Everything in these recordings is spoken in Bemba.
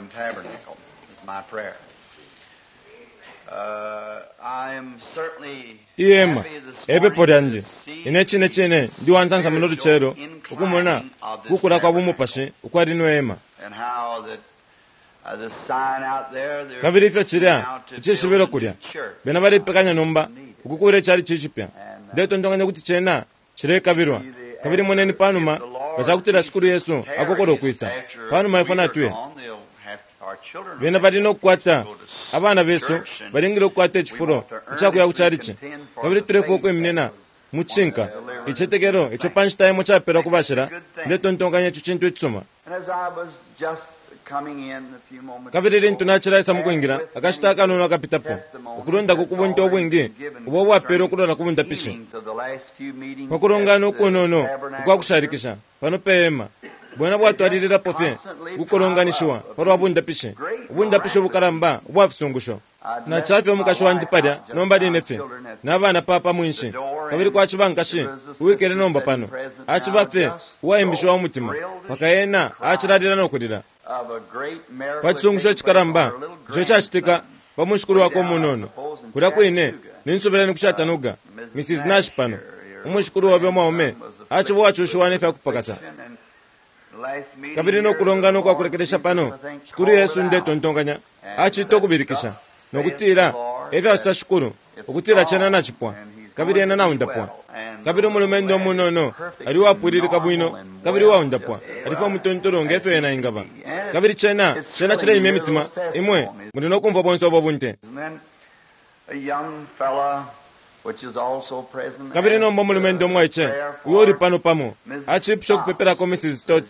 Tabernacle is my prayer. I am certainly Ihema happy this epepo morning lyandi to see ine cine cine ndi wansansa muno lucelo ukumona kukula kwa bumupashi ukwa lino hema and how that the sign out there they're kabili ifyo cilya now to icishibilo build a kulya new church. bena balipekanya nomba ukukula icali cicipya ndetontonkanya kuti cena cilekabilwa kabili moneni panuma nga cakutila shikulu yesu akokola ukwisa panuma ifwe natuye bena bali nokukwata abana besu balingile ukukwata icifulo icakuya ku calici kabili tulefwa ukwiminina mucinka icetekelo ico pa nshita imo capelwa ku bashila ndetontonkanya ico cintu icisuma And as I was just coming in a few moments kabili lintu ago, nacilaisa mukwingila akashita akanono akapitapo ukulundako ku bunte ubwingi ubo ubwapelwa ukulola ku bundapishi healings of the last few meetings pa kulongana at the ukunono tabernacle ukwakushalikisha pano pe hema bwena bwatwalililapo fye ukukolonganishiwa palwa bundapishi ubundapishi ubukalamba ubwa fisungusho nacafye umukashi wandi palya nomba line fye nabana papa mwinshi kabili kwaciba nkashi uwikele nomba pano aciba fye uwaimbishiwa umutima paka ena acilalila no kulila of a great miracle pa cisungusho icikalamba ico cacitika pa mushikulu wakwe umunono kulya kwine ninsubila ku Chattanooga Mrs. Nash pano umushikulu wabe umwaume aciba uwacushiwa ne fyakupakasa kabili nokulongana ukwakulekelesha pano shikulu yesu ndetontonkanya acita ukubilikisha nokutila efyasosa shikulu ukutila cena nacipwa kabili ena naundapwa kabili umulumendo umunono ali uwapwililika bwino kabili uwaundapwa alifa umutontolo ngefyo ena ingaba kabili cena cena cileimya imitima imwe muli nokumfwa bonse ubo bunte And then a young fella, which is also present, kabili nomba umulumendo umwaice prayer for uyo uli pano pamo Mrs. acipusha ukupepelako Mrs. Tot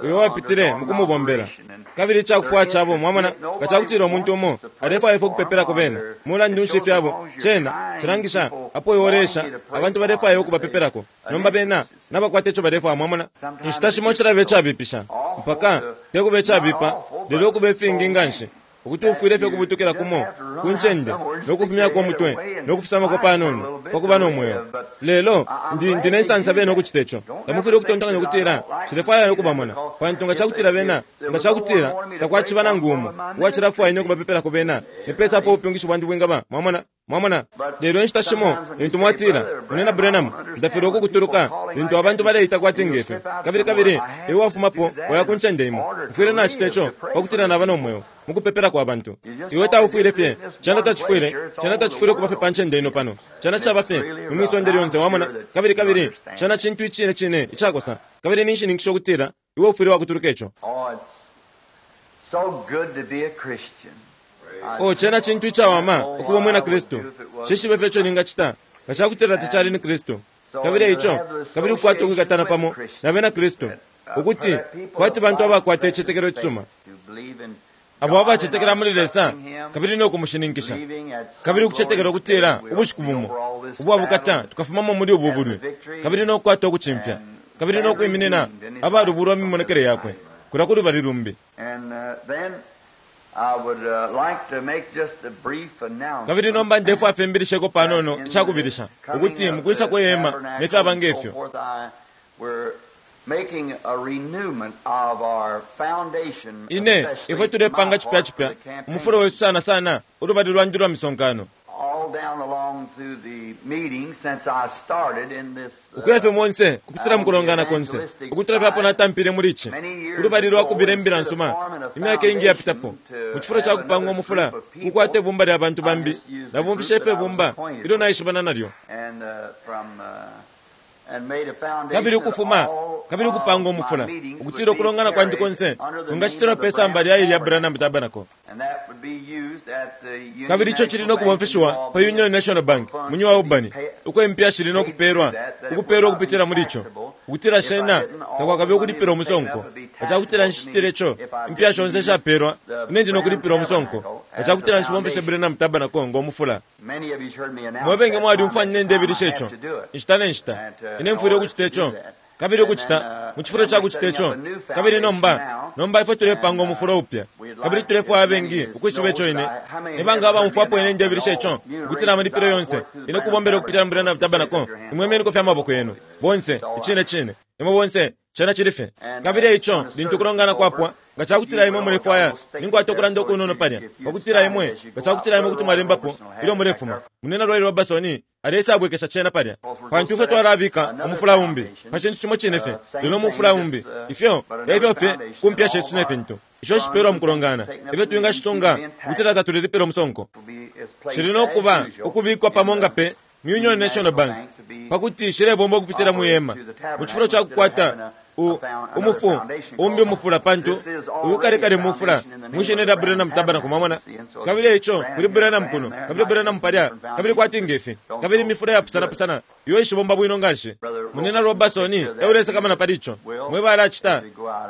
uyo wapitile mukumubombela kabili icakufwaya cabo mwamona nga cakutila umuntu umo alefwaya ifwe ukupepelako bena mulandu nshi fyabo cena cilangisha apo iwe abantu balefwaya ukubapepelako nomba bena nabakwata ico balefwaya mwamona inshita shimo cilaba icabipisha mpaka tekuba icabipa lelo ukuba ifingi nganshi ukuti ufwile fye ukubutukila kumo ku ncende nokufumyako umutwe nokufisamako panono pakuba no mweo lelo ndi ndine nsansa bena ukucita ico tamufwile ukutontonkanya ukutila cilefwaya ukubamona pantu nga cakutila bena nga cakutila takwaciba nangu umo uwacilafwaya ine ukubapepelako bena nipesa apo ubupyungishi bwandi bwingaba mwamona mwamona lelo inshita shimo lintu mwatila munena Branham ndafilwa ukukutuluka lintu abantu baleita kwati ngefyo kabili kabili iwe wafumapo waya ku ncende imo mfwile nacita ico pakutila naba no mweo mukupepela kwa bantu iwe taufwile fye cena tacifwile cena tacifwile ukuba fye pa ncende ino pano cena caba fye ni mwisonde lyonse wamona kabili kabili cena cintu icine cine icakosa kabili ninshininkisha ukutila iwe ufwile wakutuluka ico Oh, it's so good to be a Christian. o cena cintu icawama ukuba umwina kristu cishibe fye ico ningacita nga cakutila tacali ni kristu kabili eico kabili ukukwata ukwikatana pamo na bena kristu ukuti kwati bantu abakwata icitetekelo icisuma abo abacetekela muli lesa kabili no kumushininkisha kabili ukucetekela ukutila ubushiku bumo ubwa bukata tukafumamo muli ubu bulwi kabili no kukwata ukucimfya kabili no kwiminina abalubulwa mu mimonekele yakwe kulya ku lubali lumbi And then I would like to make just a brief announcement. kabili nomba ndefwaya fye mbilisheko panono icakubilisha ukuti mukwisa kwe hema ne fyaba ngefyo Making a renewment of our foundation, ine especially ifwe tulepanga my cipya part cipya for the campaign. umufulo wesu sana sana ulubali lwandi lwa misonkano All down along through the meeting since I started in this ukuya fye monse kupitila mukulongana konse ukutula fye apo natampile muli ici ulubali lwa kubila imbila nsuma imyaka ingi yapitapo mu cifulo ca kupanga umufula kukwata ibumba lya bantu bambi nabumfishe fye ibumba ilyo naishibana nalyo and from and made a foundation kabili ukufuma that all kabili ukupanga of my umufula meetings ukutila would be ukulongana kwandi carried konse under the name kungacitilwa of the pe samba lya ilya Branham Branham Tabernacle And that would be used at the Union kabili ico cili National no Bank kubomfeshiwa in pa Union Albany. National Bank mu New Albany uko impiya shili no kupeelwa ukupeelwa ukupitila muli ico ukutila shena takwakabe ukulipila umusonko nga cakutila nshicitile ico impiya shonse ishapeelwa ine ndi no kulipila umusonko nga cakutila nshibomfeshe Branham Tabernacle ngo mufula Many of you heard me announce mwebenge that mwalyumfwa time nine ndebilisha I ico have to do it. inshita ne nshita ine mfwile ukucita ico kabili ukucita mu cifulo ca kucita ico kabili nomba nomba ifwe tulepanga umufulo upya kabili tulefwaya abengi ukwishiba ico ine nibanga abaumfwapo ine ndebilisha ico ukutila amalipilo yonse ine kubombela ukupitila mu Branham Tabernacle imwe imeniko fye amaboko yenu bonse icine cine imwe bonse cena cili fye kabili eico lintu ukulongana kwapwa Nga cakutila imwe mulefwaya, ninkwata ukulanda ukunono palya, pakutila imwe, nga cakutila imwe kuti mwalembapo ilyo mulefuma. Munyina Roy Roberson alesabwekesha cena palya. Pantu ifwe twalabika umufula umbi pa cintu cimo cine fye, lelo umufula umbi. Ifyo efyo fye ku mpya shesu ne fintu isho shipelwa mukulongana, ifyo twingashisunga ukutila tatulelipila umusonko. Shili no kuba ukubikwa pamo nga pe mu Union National Bank pakuti shilebomba ukupitila mu hema, mu cifulo ca kukwata u, umufu umbi umufula, pantu uyu kale kale mufula mwishina lya Branham Tabernacle, mwamona. Kabili eico kuli Branham kuno, kabili Branham palya, kabili kwati ngefi, kabili imifula yapusana pusana iyo ishibomba bwino nganshi. Munyina Robertson e ulesakamana pali ico. Mwe balacita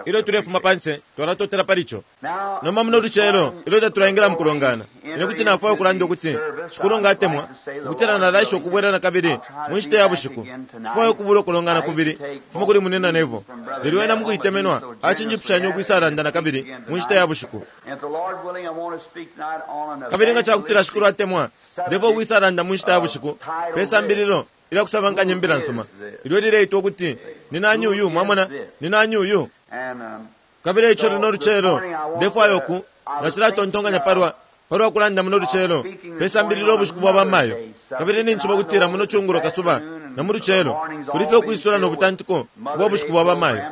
ilyo tulefuma panse, twalatotela pali ico. Nomba muno lucelo ilyo tatulaingila mukulongana, ine kuti nafwaya ukulanda ukuti Shikulu nga atemwa, ukutila nalaisha ukubwela nakabili mu nshita ya bushiku. Nshifwaya ukubula ukulongana kubili kufuma kuli Munyina Neville. Lelo ena mukuitemenwa acinjipushanya ukwisalanda nakabili mu nshita ya bushiku. Kabili nga cakutila Shikulu atemwa, ndefwaya ukwisalanda mu nshita ya bushiku pe sambililo ilya kusabankanya imbila nsuma, ilyo lileitwa ukuti, Ni Nani Uyu? Mwamona? Ni Nani Uyu? Kabili eico luno lucelo, ndefwaya uku, nacilatontonkanya palwa, palwa kulanda muno lucelo pe sambililo ubushiku bwa bamayo. Kabili ninjishiba ukutila muno cungulo kasuba na mu lucelo kuli fye ukwisula no butantiko ubwa bushiku bwa bamayo.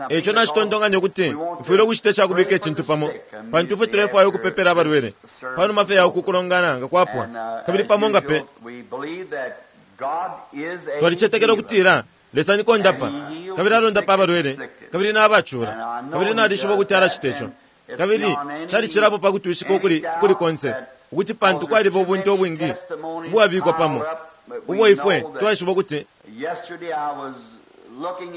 Eico nacitontonkanya ukuti mfwile ukucita icakubika icintu pamo, pantu ifwe tulefwaya ukupepela abalwele panuma fye ya uku kulongana nga kwapwa. Kabili pamo nga pe, twalicetekela ukutila Lesa ni kondapa, kabili alondapa abalwele kabili nabacula, kabili nalishiba ukuti alacita ico. Kabili calicilapo pa kutwishika ukuli, ukuli konse, ukuti pantu kwaliba ubunte ubwingi ubwabikwa pamo, ubo ifwe twaishiba ukuti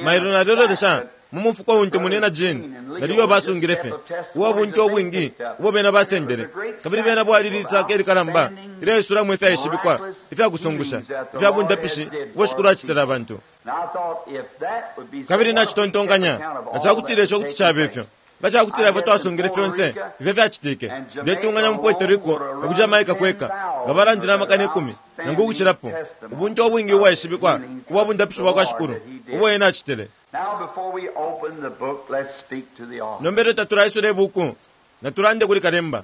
mailo nalilolesha mu mufuko untu Munyina Gene na Leo basungile fye, uwa bunte ubwingi ubo bena basendele, kabili bena bwali lisaka ilikalamba ilyaisulamo ifyaishibikwa ifyakusungusha ifya bundapishi ubo Shikulu acitila abantu. Kabili nacitontonkanya, nga cakutila ico kuti caba ifyo, nga cakutila ifwe twasungile fyonse ifyo fyacitike, ndetunganya mu Puerto Rico na ku Jamaica kweka, nga balandile amakana ikumi nangu ukucilapo, ubunte ubwingi ubwaishibikwa ubwa bundapishi bwa kwa Shikulu ubo Ena acitile. Nomba ilyo tatulaisula ibuku, natulande kuli kalemba.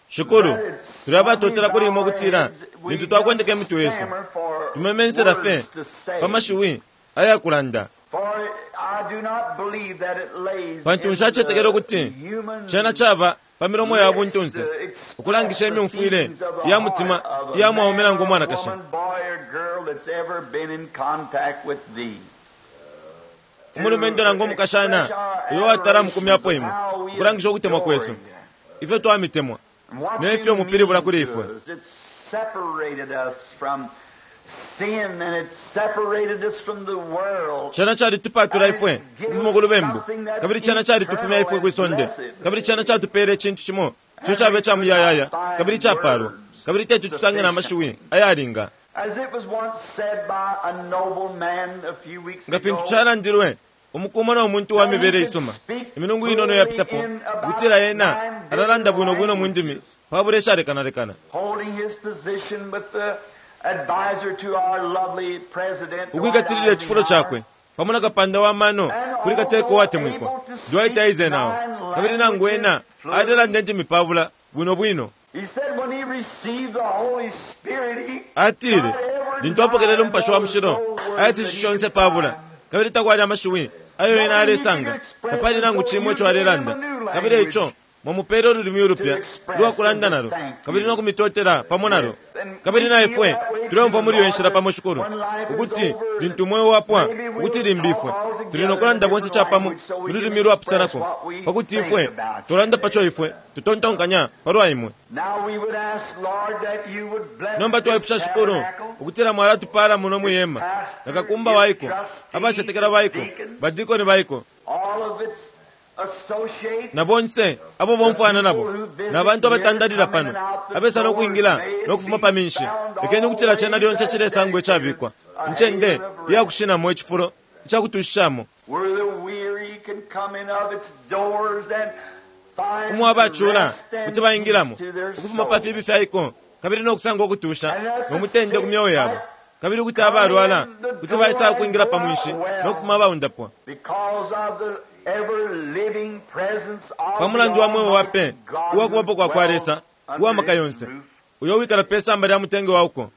Shikulu, tuli abatotela kuli Imwe ukutila lintu twakwendeka imitwe yesu, tumemensela fye pa mashiwi ayakulanda. Pantu nshacetekela ukuti cena caba pa milomo ya buntunse ukulangisha imyumfwile ya mutima iya mwaume nangu umwanakashi. Umulumendo nangu umukashana uyo watala mukumyapo imwe, ukulangisha ukutemwa kwesu, ifyo twamitemwa ne fyo mupilibula kuli ifwe. Cena calitupatula ifwe ukufuma ku lubembu, kabili cena calitufumya ifwe kwi sonde, kabili cena catupele icintu cimo ico caba ica muyayaya kabili icapalwa, kabili teti tusange na mashiwi ayalinga. Nga fintu calandilwe umuku umo no muntu wa mibele isuma imilungu inono yapitapo, ukutila ena alalanda bwino bwino mu ndimi pabula ishalekanalekana. Ukwikatilila icifulo cakwe pamo na kapanda wa mano kuli kateka uwatemwikwa Dwight Eisenhower, kabili nangu ena alelanda indimi pabula bwino bwino. Atile lintu apokelele Umupashi wa Mushilo, ayatishe shonse pabula, kabili takwali amashiwi ayo ena alesanga, tapali nangu cimo ico alelanda, kabili eico mwamupele ululimi ulupya ulwa kulanda nalo, kabili no kumitotela pamo nalo. Kabili na ifwe tuleumfwa muli iyo nshila pamo, Shikulu, ukuti lintu umweo wapwa, ukuti limbi ifwe tuli no kulanda bonse capamo mu lulimi ulwapusanako, pakuti ifwe tulanda paco ifwe tutontonkanya palwa imwe. Nomba twaipusha, Shikulu, ukutila mwalatupala muno mwi hema, na kakumba waiko, abacetekela baiko, badikoni baiko, na bonse abo bomfwana nabo, na bantu abatandalila pano, abesa no kwingila no kufuma pa minshi. Lekeni ukutila cena lyonse cilesangwa icabikwa, incende iya kushinamo, icifulo icakutushishamo, umo abacula kuti baingilamo ukufuma pa fibi fyaiko, kabili no kusanga ukutusha no mutende ku myeo yabo. Kabili ukuti abalwala kuti baisa ukwingila pa mwinshi no kufuma abaundapwa. Pa mulandu wa mweo wa pe uwa kubapo kwa kwa Lesa uwa maka yonse, uyo wikala pe samba lya mutenge wa uko.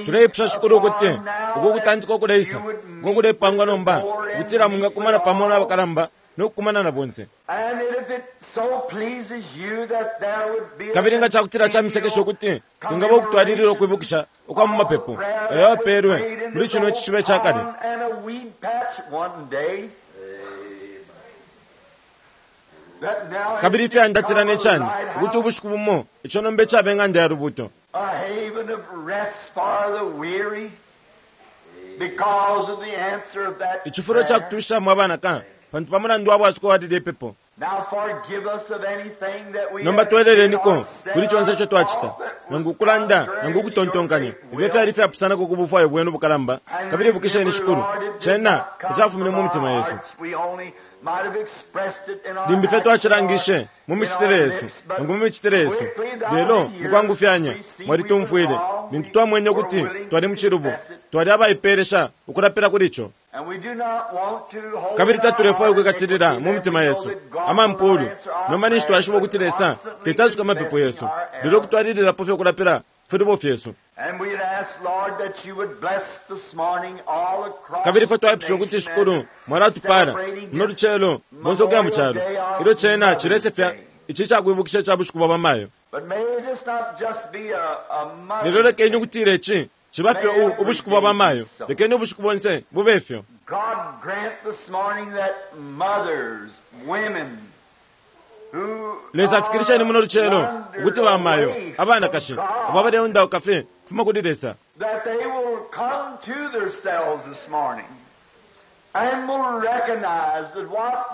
Tuleipusha Shikulu ukuti uku kutantika ukuleisa uko kulepangwa nomba ukutila mwingakumana pamo na bakalamba no kukumana na bonse. Kabili nga cakutila camisekesha ukuti kwingaba ukutwalilila ukwibukisha ukwa mu mapepo ayo apeelwe muli cino icishiba ca kale. Kabili ifyandatila ne cani ukuti ubushiku bumo ico nomba icaba ing'anda ya lubuto. Icifulo ca kutushishamo abanaka pantu pa mulandu wa bwasuko wa lilye pepo. Nomba tweleleniko kuli conse ico twacita, nangu ukulanda nangu ukutontonkanya, ifyo fyali ifyapusanako ku bufwayo bwenu bukalamba. Kabili ibukisheni, Shikulu, cena tacafumine mu mitima yesu. Limbi fye twacilangishe mu micitile yesu nangu mu micitile yesu, lelo mukwangufyanya mwalitumfwile lintu twamwene ukuti twali mu cilubo, twali abaipeelesha ukulapila kuli ico. Kabili tatulefwaya ukwikatilila mu mitima yesu amampulu. Nomba ninshi twashiba ukuti Lesa tetasuka amapepo yesu, lelo ukutwalililapo fye ukulapila filubo fyesu. Kabili ifwe twaipusha ukuti Shikulu mwalatupala muno lucelo bonse ukuya mu calo ilyo cena cilesefya ici cakwibukisha ica bushiku bwa bamayo. Lelo lekeni ukutila ici ciba fye ubushiku bwa bamayo, lekeni ubushiku bonse bube fyo. Lesa afikilisheni muno lucelo ukuti bamayo abanakashi abo abaleundauka fye kufuma kuli Lesa,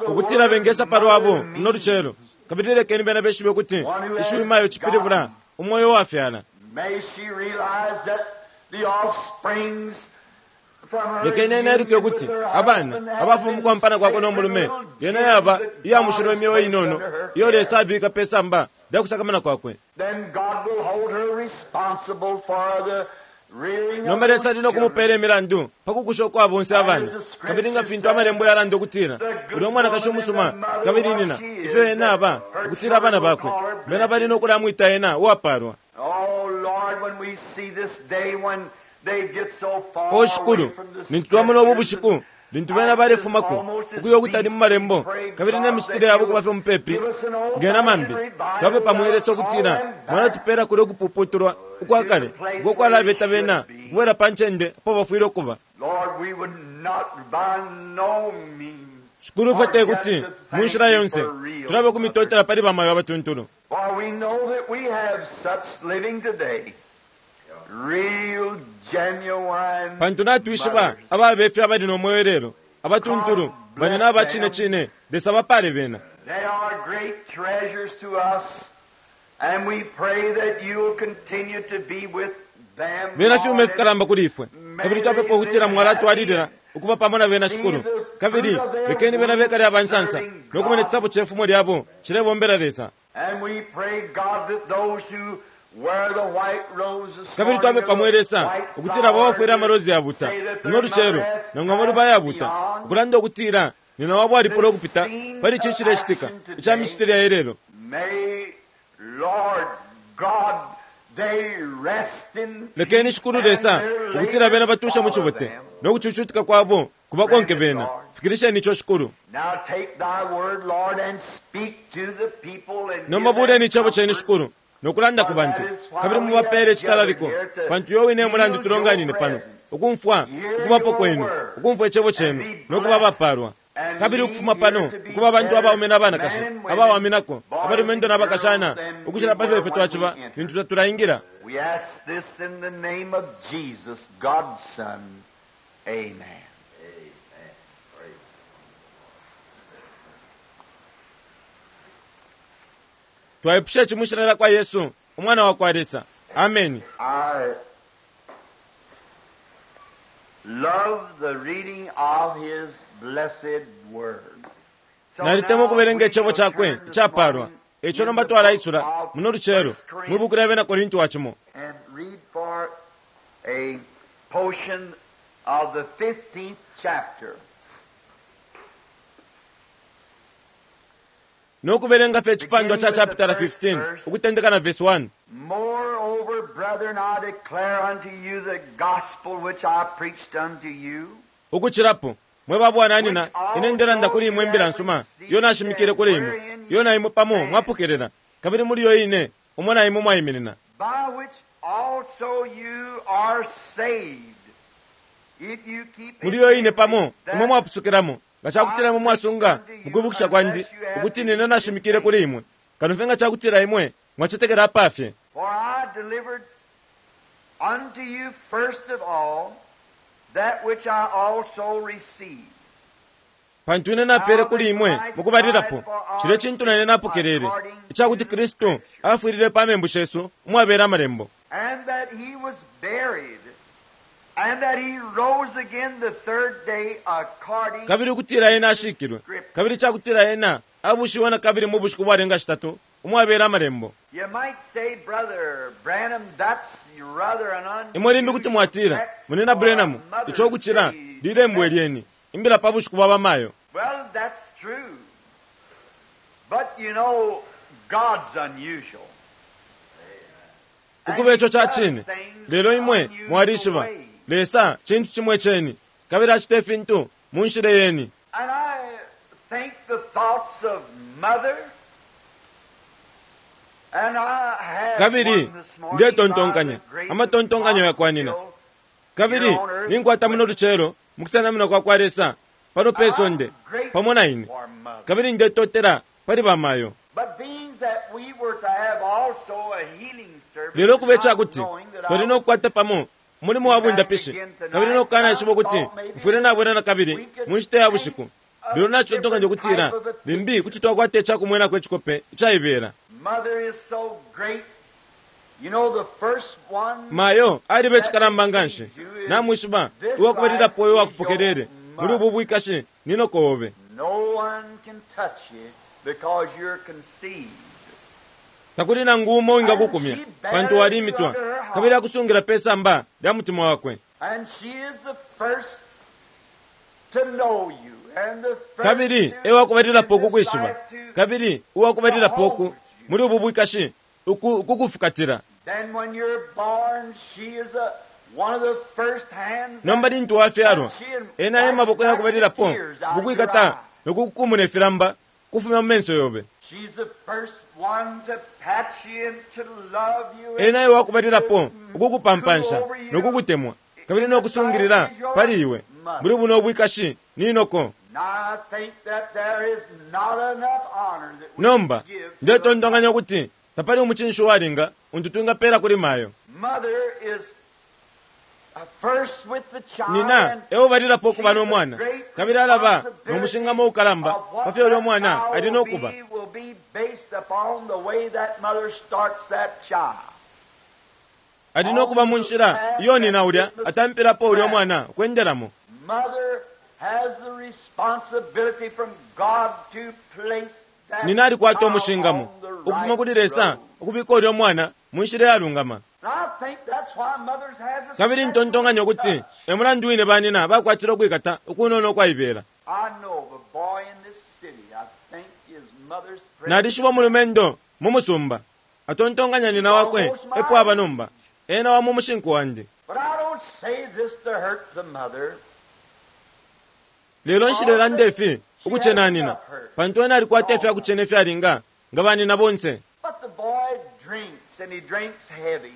ukutila bengesa palwabo muno lucelo, kabili lekeni bena beshibe ukuti ishiwi mayo cipilibula umwoyo wafyala. Lekeni ena eluke ukuti abana abafuma mu kwampana kwakwe no mulume yena yaba iya mushilo imyeo inono iyo Lesa abika pe samba lya kusakamana kwakwe. Nomba Lesa ali no kumupeela imilandu pa kukusha ukwa bonse abana. Kabili nga fintu amalembo yalanda ukutila ulya umwanakashi umusuma kabili nina ifyo ena aba ukutila abana bakwe bena bali no kulamwita ena uwapaalwa. O Shikulu, lintu twamona ubu bushiku lintu bena balefumako ukuya ukutali mu malembo kabili ne micitile yabo kuba fye mupepi ngena mambi, twapepa mwe Lesa ukutila mwalatupela kulya ukupuputulwa ukwa kale uko kwalabeta bena ukubwela pa ncende apo bafwile ukuba. Shikulu, ifwe te kuti mu nshila yonse tulabe ukumitotela pali bamayo abatuntulu. Pantu natwishiba ababa ifyo abali no mweo ilelo, abatuntulu bali na aba cine cine, Lesa bapale bena. Bena fyuma ifikalamba kuli ifwe, kabili twapepa ukutila mwalatwalilila ukuba pamo na bena, Shikulu. Kabili lekeni bena bekale aba nsansa no kumona icisabo ce fumo lyabo cilebombela Lesa. Kabili twapepa mwe Lesa ukutila abo abafwele amalozi yabuta muno lucelo nangu amaluba ayabuta, ukulanda ukutila nina wabo alipula ukupita pali ici icilecitika ica micitile ya ilelo. Lekeni Shikulu Lesa ukutila bena batusha mu cibote no kucucutika kwabo kubakonke bena. Fikilisheni ico, Shikulu. Nomba buleni icebo cenu, Shikulu, no kulanda ku bantu, kabili mubapeele icitalaliko, pantu yo wine mulandu tulonganine pano ukumfwa ukubapo kwenu, ukumfwa icebo cenu, no kuba abapalwa. Kabili ukufuma pano ukuba abantu abaume na banakashi abawaminako, abalumendo na bakashana, ukucila pa fyo ifwe twaciba lintu tatulaingila. Twaipusha ici mwishina lya kwa Yesu, Umwana wa kwa Lesa. Ameni. I love the reading of his blessed word. Nalitemwa ukubelenga icebo cakwe icapalwa. Eico nomba twalaisula muno lucelo mwi buku lya bena Korinti wa cimo. And read for a portion of the 15th chapter. No kubelenga fye icipandwa cha chapitala 15 ukutendeka na verse 1. Moreover, brethren, I declare unto you the gospel which I preached unto you. Ukucilapo, mwe ba bwananyina, ine ndelanda kuli imwe imbila nsuma iyo nashimikile kuli imwe, iyo na imwe pamo mwapokelela, kabili muli yo ine umo na imwe mwaiminina. By which also you are saved, if you keep Muli yo ine pamo imwe mwapusukilamo, nga cakutila imwe mwasunga mukwibukisha kwandi ukuti nine nashimikile kuli imwe, kano fye nga cakutila imwe mwacetekela apafye. For I delivered unto you first of all that which I also received. Pantu ine napele kuli imwe mukubalilapo cilya cintu na ine napokelele, icakuti Kristu afwilile pa membu shesu umwabela amalembo, And that he was buried, and that he rose again the third day according kabili ukutila ena ashikilwe, kabili icakutila ena abushiwe na kabili mu bushiku bwalenga shitatu umwabela amalembo. You might say, Brother Branham, that's rather an Imwe limbi kuti mwatila, Munina Branham, ico kucila lilembo lyeni, imbila pa bushiku bwa bamayo. Well, that's true. But you know, God's unusual. Ukuba ico ca cine, lelo imwe mwalishiba, Lesa cintu cimwe ceni, kabili acita ifintu mu nshila yeni. And I think the thoughts of mother. And I had Kabili one this morning ndetontonkanya by the grace of amatontonkanyo God yakwanina. still Kabili ninkwata muno lucelo mukusenamina kwa kwa Lesa pano pe sonde pamo na ine, for mother. kabili ndetotela pali bamayo. But being that we were to have also a healing service, Lelo kube icakuti not knowing that I twali no kukwata pamo umulimo wa bundapishi, kabili no kukanaishiba ukuti mfwile nabwela na kabili mu nshita ya bushiku. Lelo nacitontonkanya ukutila limbi kuti twakwata icakumwenako icikope icaibela. Mother is so great. You know the first one Mayo aliba icikalamba nganshi, namwishiba uwakubalilapo uyo wakupokelele muli ubu bwikashi ni noko obe. no one can touch you because you're conceived. Takuli nangu umo uwingakukumya pantu walimitwa, kabili akusungila pe samba lya mutima wakwe. And she is the first to know you and the first Kabili to ewakubalilapo in this ukukwishiba, life to kabili uwakubalilapo uku muli ubu bwikashi ukukufukatila. Then when you're born, she is a, one of the first hands Nomba lintu wafyalwa, ena e maboko yakubalilapo ukukwikata nokukukumuna ifilamba kufumya mu menso yobe. She's the first one to pat you and to love you and Ena e wakubalilapo ukukupampansha nokukutemwa, kabili nokusungilila pali iwe muli buno bwikashi ni noko. And I think that there is not enough honor that we Nomba can give to the ndetontonkanya ukuti tapali umucinshi uwalinga untu twingapela kuli mayo. mother is first with the child Nina and eubalilapo ukuba no mwana, kabili alaba no mushingamo ukalamba pa fyo ulya mwana ali no kuba. will be based upon the way that mother starts that child. Ali no kuba mu nshila iyo nina ulya atampilapo ulya mwana ukwendelamo. Mother has the responsibility from God to place that Nina alikwata child umushingamo on the right ukufuma kuli Lesa road. ukubika ulya mwana mu nshila iyalungama. And I think that's why mothers has a Kabili special ntontonkanya ukuti touch. e mulandu wine banina bakwatile ukwikata ukunono ukwaibela. I know of a boy in this city. I think his mother's Nalishiba umulumendo mu musumba atontonkanya nina wakwe epo aba nomba ena wa mu mushinku wandi. But I don't say this to hurt the mother. Lelo nshilelanda ifi ukucena nina, pantu ena alikwata ifyakucena ifyalinga nga banina bonse. But the boy drinks, and he drinks heavy.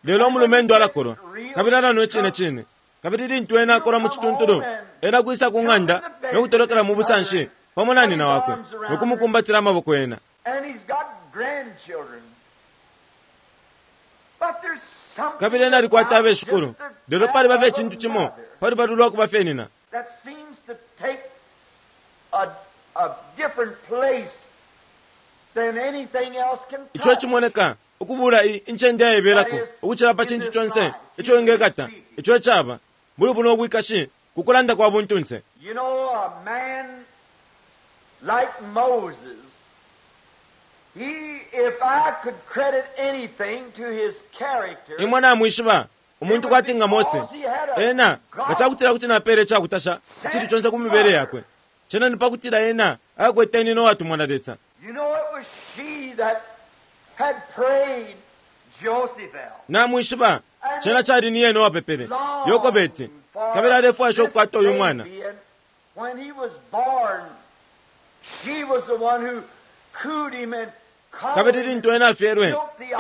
Lelo umulumendo alakolwa, kabili alanwa icine cine. Kabili lintu ena akolwa mu cituntulu, ena kwisa ku ng'anda no kutolokela mu busanshi pamo na nina wakwe no kumukumbatila amaboko ena. And he's got grandchildren. But there's something Kabili ena alikwata about abeshikulu, just the lelo paliba fye touch of icintu a cimo mother pali lwa kuba fye nina. that seems to take a different place than anything else can Ico touch. cimoneka ukubula incende yaibelako ukucila pa cintu conse ico ingekata, ico caba muli buno bwikashi ku kulanda kwa buntunse. You know, a man Like Moses, he, if I could credit anything to his character, Imwe namwishiba umuntu kwati nga Mose, ena nga cakutila kuti napele icakutasha icili conse ku mibele yakwe, cena ni pakutila ena akwete nyina uwatumwa na Lesa. You know, it was she that had prayed Jochebed. Namwishiba cena cali ni yena uwapepele Yokobeti, kabili alefwaisha ukukwata uyu mwana. When he was born, she was the one who cooed him and Kabili lintu ena afyelwe,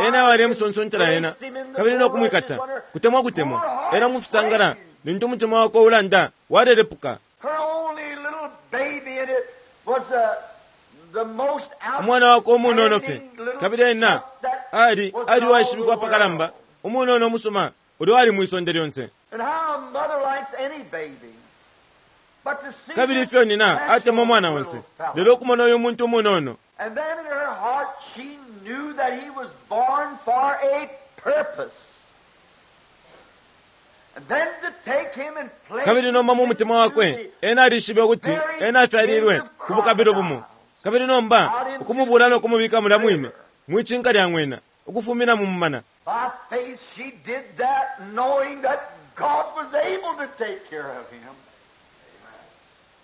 ena walemusonsontela ena kabili nokumwikata kutemwa kutemwa ena mufisangala lintu umutima wakwe ulanda walelepuka. Her only little baby, and it was the most Umwana wakwe umunono fye, outstanding little kabili ena that ali was ali in all uwaishibikwa the pakalamba, world. umunono umusuma ulyo ali mwisonde lyonse. And how a mother likes any baby. But to see Kabili this ifyo nina special atemwa umwana little onse, fellow. lelo ukumona uyu muntu umunono. And then in her heart she knew that he was born for a purpose. And then to take him and place Kabili nomba mu mutima wakwe ena alishibe ukuti ena afyalilwe ku bukabilo bumo, kabili nomba ukumubula no kumubika mulya mwine mwicinka lya ng'wena ukufumina mu mumana. By faith she did that, knowing that God was able to take care of him.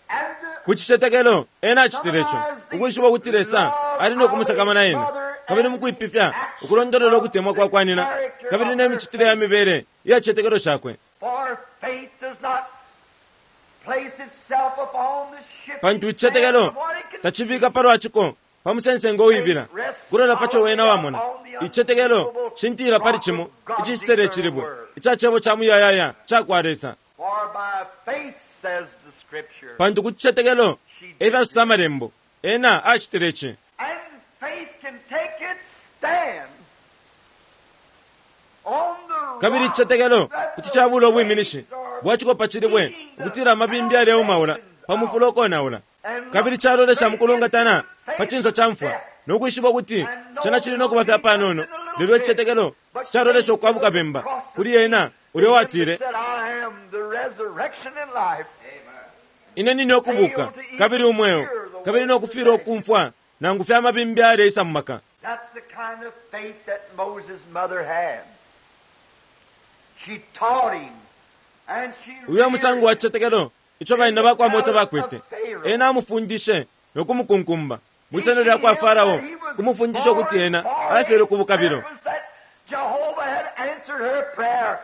And to Ku cicetekelo ena acitile ico, ukwishiba ukuti Lesa ali no kumusakamana ena, kabili mukwipifya ukulondolola ukutemwa kwa kwa nyina kabili ne micitile ya mibele iya cicetekelo cakwe. For faith does not place itself upon the shifting Pantu icicetekelo sand of what it can tacibika palwa ciko pa musensengo uwibila kulola paco wena wamona. Icicetekelo shintila pali cimo icisele cilibwe ica cebo ca muyayaya ca kwa Lesa. For by faith, says the scripture. Pantu ku cicetekelo efyasosa amalembo, ena acitile ici. And faith can take its stand on the Kabili rock icicetekelo that kuti the cabula ubwiminishi waves are bwa ciko pa cilibwe, beating the ukutila amabimbi aleumaula pa mufulo ukonaula. And Kabili calolesha mukulungatana pa cinso ca mfwa no kwishiba ukuti cena cili no kuba fya panono, lelo icicetekelo ticalolesha ukwabuka bemba kuli ena ulya watile, Said, I am the resurrection and life. ine nine ukubuka kabili umweo, kabili no kufilwa ukumfwa nangu fya mabimbi aleisa mu maka. That's the kind of faith that Moses' mother had. She taught him, and she Uyo musango wa reared him. cicetekelo ico banyina bakwa Mose bakwete. Ena amufundishe no kumukunkumba mwisano lya kwa Farao, kumufundisha ukuti ena afyelwe ku bukabilo. That Jehovah had answered her prayer,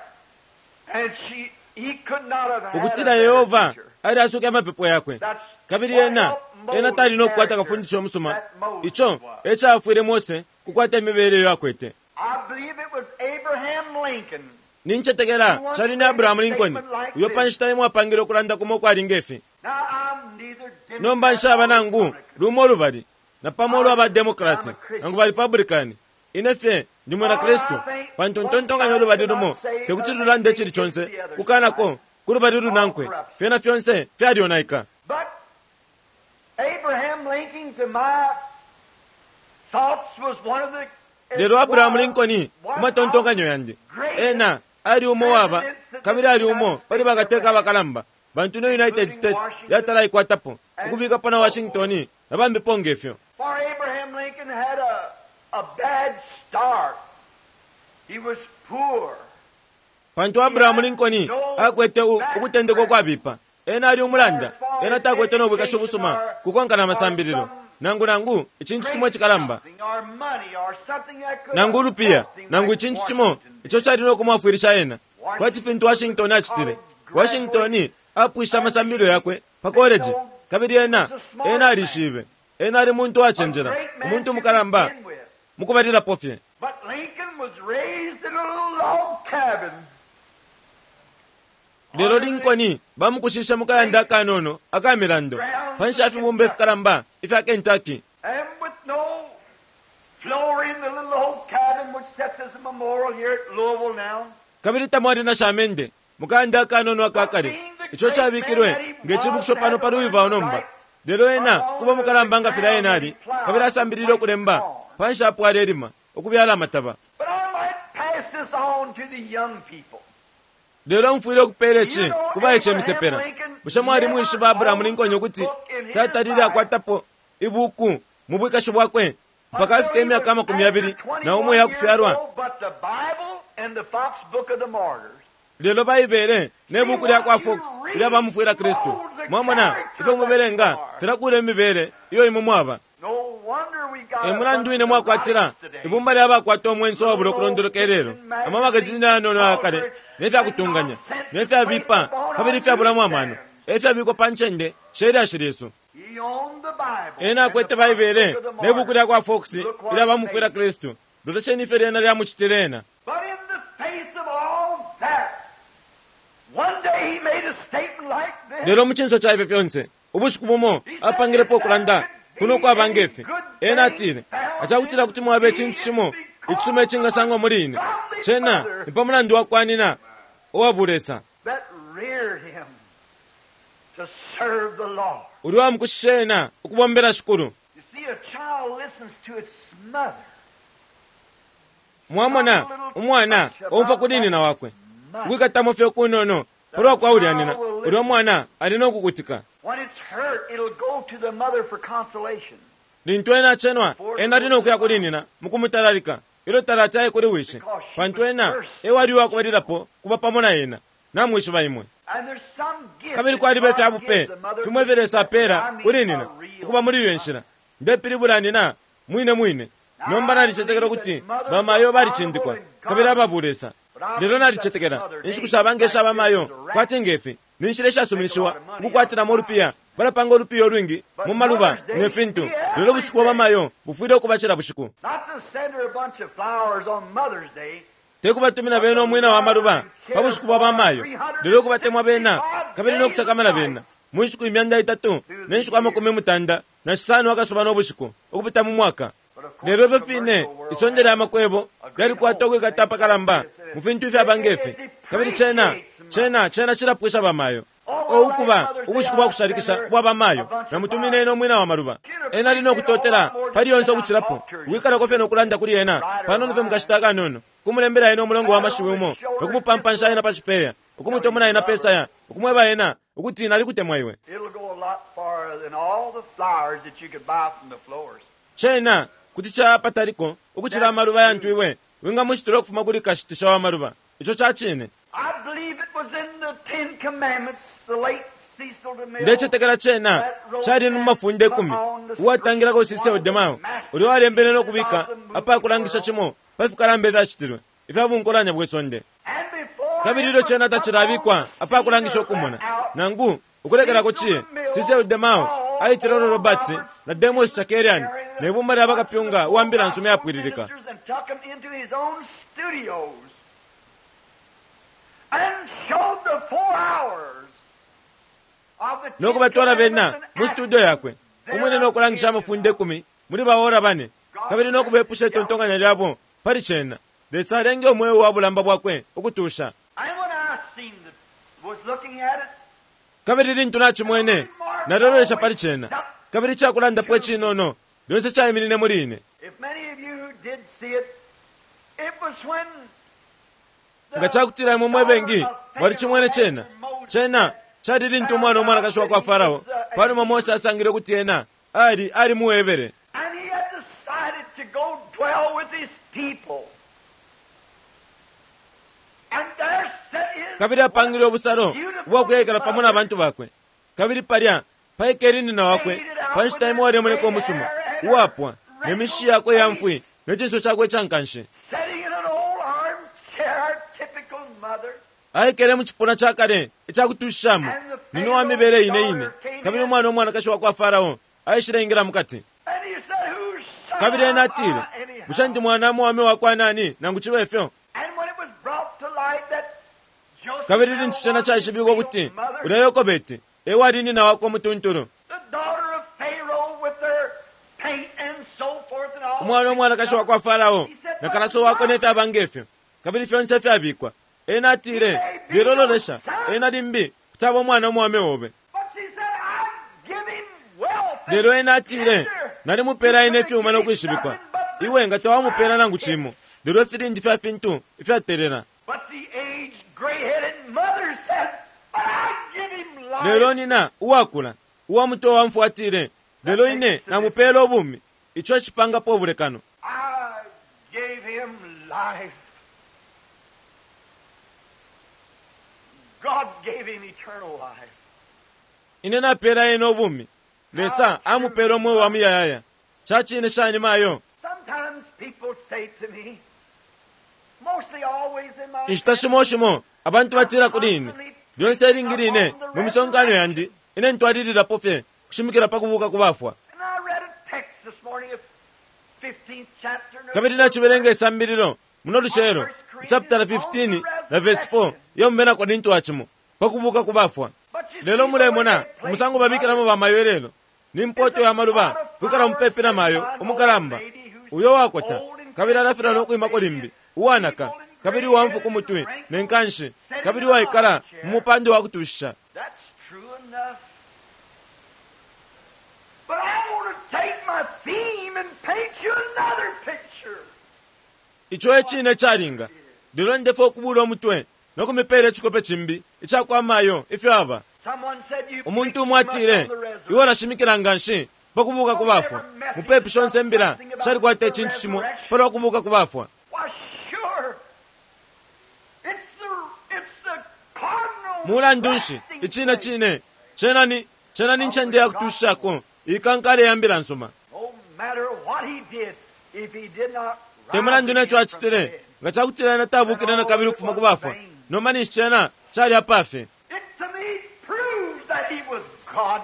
and she, he could not have had a Ukutila better Yehova teacher. ali asuke amapepo yakwe, That's kabili what ena helped ena Moses' tali no kukwata character kafundisho musuma. that Moses Ico was. ecafwile Mose kukwata imibele iyo akwete. I believe it was Abraham Lincoln Nincetekela cali ni Abrahamu Lincoln uyo pa nshita imwe apangile ukulanda kumo ukwali ngefi. Now I'm neither Democrat Nomba nshaba nor nangu Republican. lumo lubali na pamo ulwa ba Democrat nangu ba Republican. Ine fye ndi mwina Kristu, pantu ntontonkanya ulubali lumo tekuti lulande icili conse kukanako ku lubali lunankwe, fyena fyonse fyalyonaika. But Abraham Lincoln, to my thoughts, was one of the Lelo Abrahamu Lincoln ku matontonkanyo yandi, ena ali umo waba kabili ali umo pali bakateka abakalamba bantu no United States yatalaikwatapo, ukubikapo na Washington na bambipo ngefyo. For Abraham Lincoln had a bad start. He was poor. Pantu Abrahamu Lincoln akwete ukutendeka ukwabipa, ena ali umulanda, ena takwete no bwikashi ubusuma kukonka na masambililo nangu nangu icintu cimo icikalamba Something or money or something that could nangu ulupiya help him nangu like icintu cimo Washington. ico cali no kumwafwilisha ena kwati fintu Washington acitile. Washington apwisha amasambililo yakwe pa koleji, kabili ena ena alishibe ena ali muntu wacenjela, A great man umuntu to mukalamba begin with. mukubalilapo fye. But Lincoln was raised in a little log cabin. Lelo Lincoln bamukushishe mukayanda akanono aka milando panshi ya fibumba ifikalamba ifya Kentucky, And with no floor in the little old cabin which sits as a memorial here at Louisville now. kabili tamwali na shamende mukayanda akanono akakale ico cabikilwe nge cibukisho pano pa Louisville nomba. Lelo ena kuba mukalamba nga filya ena ali, kabili asambilile ukulemba panshi apo alelima ukubyala amataba. But I might pass this on to the young people. Lelo mfwile ukupeela ici ku baice misepela. Bushe mwali mwishiba Abrahamu Lincoln ukuti tatalile akwatapo ibuku mu bwikashi bwakwe mpaka afika imyaka 21 yakufyalwa. But the Bible and the Fox Book of the Martyrs. Lelo Baibele ne buku lya kwa Fox ilya bamufwila Kristu, mwamona ifyo mubelenga filakula imibele iyo imwe mwaba. No wonder we got E a mulandu bunch wine of mwakwatila riots today. ibumba lya bakwata umwenso wabula ukulondoloka ilelo, amamagazini ayanono ayakale ne fyakutunganya ne fyabipa kabili ifyabulamo amano e fyabikwa pa ncende she lyashi lyesu. He owned the Bible Ena and akwete the Fox Baibele Book of the ne buku lya kwa Fox Look what ilya it bamufwila made. Kristu. Lolesheni ifyo lyena lyamucitile ena. But in the face of all that, one day he made a statement like this. Lelo mu cinso ca ifyo fyonse, ubushiku bumo apangilepo ukulanda kuno kwaba ngefi. Ena atile, acakutila kuti mwaba icintu cimo icisuma icingasangwa muli ine, cena ni pa mulandu wa kwanina uwa bulesa that reared him to serve the Lord. uli wamukushisha ena ukubombela Shikulu. You see, a child listens to its mother. Mwamona umwana omfwa kuli nina wakwe ukwikatamo fye kunono palwa kwa ulya nina, ulya mwana ali no kukutika. When it's hurt, it'll go to the mother for consolation. Lintu ena acenwa, ena ali no kuya kuli nina mukumutalalika ilyo talati aye kuli wishi, pantu ena ewali uwakubalilapo kuba pamo na ena. Namwishiba imwe. And there's some gift Kabili that kwaliba God ifya bupe gives the mother fimwe ifyo Lesa apeela I mean kuli nina a real ukuba muli iyo nshila. Ndepilibula nina mwine mwine. Nomba nalicetekela kuti bamayo balicindikwa kabili ababulesa. Lelo nalicetekela inshiku sha nge sha bamayo kwati ngefi ni nshila ishasuminishiwa ukukwatilamo ulupiya, balapanga ulupiya ulwingi mu maluba ne fintu. Lelo ubushiku bwa bamayo bufwile ukuba cila bushiku. Not to send her a bunch of flowers on Mother's Day. Tekubatumina bena umwina wa maluba pa bushiku bwa bamayo, lelo kubatemwa bena kabili no kusakamana bena mu nshiku 365 akasuba no bushiku ukupita mu mwaka. Lelo ifyo fine isonde lya makwebo lyalikwata ukwikata apakalamba mu fintu ifyaba ngefi, kabili cena cena cena cilapwisha bamayo. O ukuba ubushiku bwa kushalikisha ubwa bamayo, namutumine ena umwina wa maluba. Ena ali no kutotela pali yonse ukucilapo ukwikalako fye no kulanda kuli ena panono fye mukashita akanono, kumulembela ena umulongo wa mashiwi umo, no kumupampansha ena pa cipeya, ukumutomona ena pesaya, ukumweba ena ukuti nalikutemwa iwe. It'll go a lot farther than all the flowers that you could buy from the florist. Cena kuti capataliko ukucila amaluba yantu iwe wingamushitula ukufuma kuli kashitisha wa maluba. Ico ca cine. I believe it was in the Ten Commandments, the late Cecil DeMille. Ndecetekela cena cali mu mafunde 10 uwatangilako Cecil DeMille, ulya walembele no kubika apakulangisha cimo pa fikalamba ifyacitilwe ifya bunkolanya bwe sonde. And before Kabili it ilyo was cena put on tacilabikwa the apakulangisha scene ukumona out, nangu ukulekelako ciye, Cecil DeMille aitile Oral Roberts na Demos Shakarian ne bumba lya bakapyunga uwa mbila nsuma yapwililika. And took them into his own studios and showed the 4 hours of the No Ten kubatwala bena Commandments mu and studio yakwe actions umwine no kulangisha amafunde 10 muli baora bane, kabili no kubepusha itontonkanya lyabo pali cena. Lesa alenge umweo wa bulamba bwakwe ukutusha. And when I seen the, was looking at it, Kabili lintu nachimwene nalolesha pali cena, kabili icakulandapo icinono lyonse caiminine muli ine. if many of you who did see it, it was when the Nga cakutila imwe mwe bengi mwalicimwene cena, cena cali lintu umwana umwanakashi wa kwa Farao panuma Mose asangile ukuti ena ali ali muwebere. And he had decided to go dwell with his people. And there sat his Kabili apangile ubusalo ubwakuyekela pamo na bantu bakwe. Kabili palya paikele nina wakwe pa nshita imo walemoneka umusuma uwapwa ne mishi yakwe ya mfwi ne cinso cakwe icankanshi. sitting in an old armchair, typical mother. Aikele mu cipuna ca kale icakutushishamo nina uwa mibele ine ine. Kabili umwana umwanakashi wa kwa Farao aishile ingila mukati. And he said, Whose son Kabili ena am atile, I anyhow?" bushe ndi mwana mwame wa kwa nani nangu cibe ifyo? And when it was brought to light that Joseph Kabili lintu cena caishibikwa ukuti ulya Yokobeti ewali nina wakwe umutuntulu, the daughter of Pharaoh with her paint and so forth and all umwana umwanakashi wa kwa Farao na kalaso wakwe ne fyaba ngefyo, kabili fyonse fyabikwa. Ena atile, lelo lolesha, ena limbi kuti aba umwana umwame obe. But she said, I give him wealth and Lelo ena atile, splendor. nalimupela ine ifyuma no kwishibikwa. Iwe nga tawamupela nangu cimo, lelo ifilindi fya fintu ifyatelela. But the aged, gray-headed mother said, But I give him life. Lelo nina uwakula uwa mutwe wa mfwa atile, Lelo ine namupeela ubumi. Ico ecipangapo ubulekano. I gave him life. God gave him eternal life. Ine napeela ena ubumi. Lesa amupeela umweo wa muyayaya. Ca cine shani mayo? Sometimes people say to me, mostly always in my Inshita shimo shimo abantu batila kuli ine, lyonse ilingi line mu misonkano yandi ine ntwalililapo fye kushimikila pa kubuuka ku bafwa. And I read a text this morning of 15th chapter. and Kabili nacibelenga isambililo muno lucelo chapter 15 na verse 4 iyo mu Bena Korinto wa cimo pa kubuuka ku bafwa. But you Lelo see the way mulemona they place umusango babikilamo bamayo ilelo ni mpoto ya maluba kwikala mupepi na mayo umukalamba uyo wakota kabili alafilwa no kwimako limbi uwanaka kabili uwamfu ku mutwe ne nkanshi kabili uwaikala mu mupando wa kutushisha. That's true enough. But I want to take my theme and paint you another picture. Ico e cine calinga. Lelo ndefwaya ukubuula umutwe no kumipeela icikope cimbi ica kwa mayo ifyo aba. Someone said you Umuntu preach umo too much atile, on the resurrection. iwe ulashimikila nga nshi pa kubuuka ku bafwa. Mupepi shonse imbila shalikwata icintu cimo pa lwa kubuuka ku bafwa. Why, sure. It's the cardinal Mulandu nshi resting icine place. cine cena ni cena ni ncende ya kutushishako ikankala ya mbila nsuma. No matter what he did, if he did not Te rise mulandu again neco from the acitile, dead, nga cakutila ena tabukile na kabili ukufuma ku bafwa, nomba ninshi cena cali apafe. it to me proves that he was God.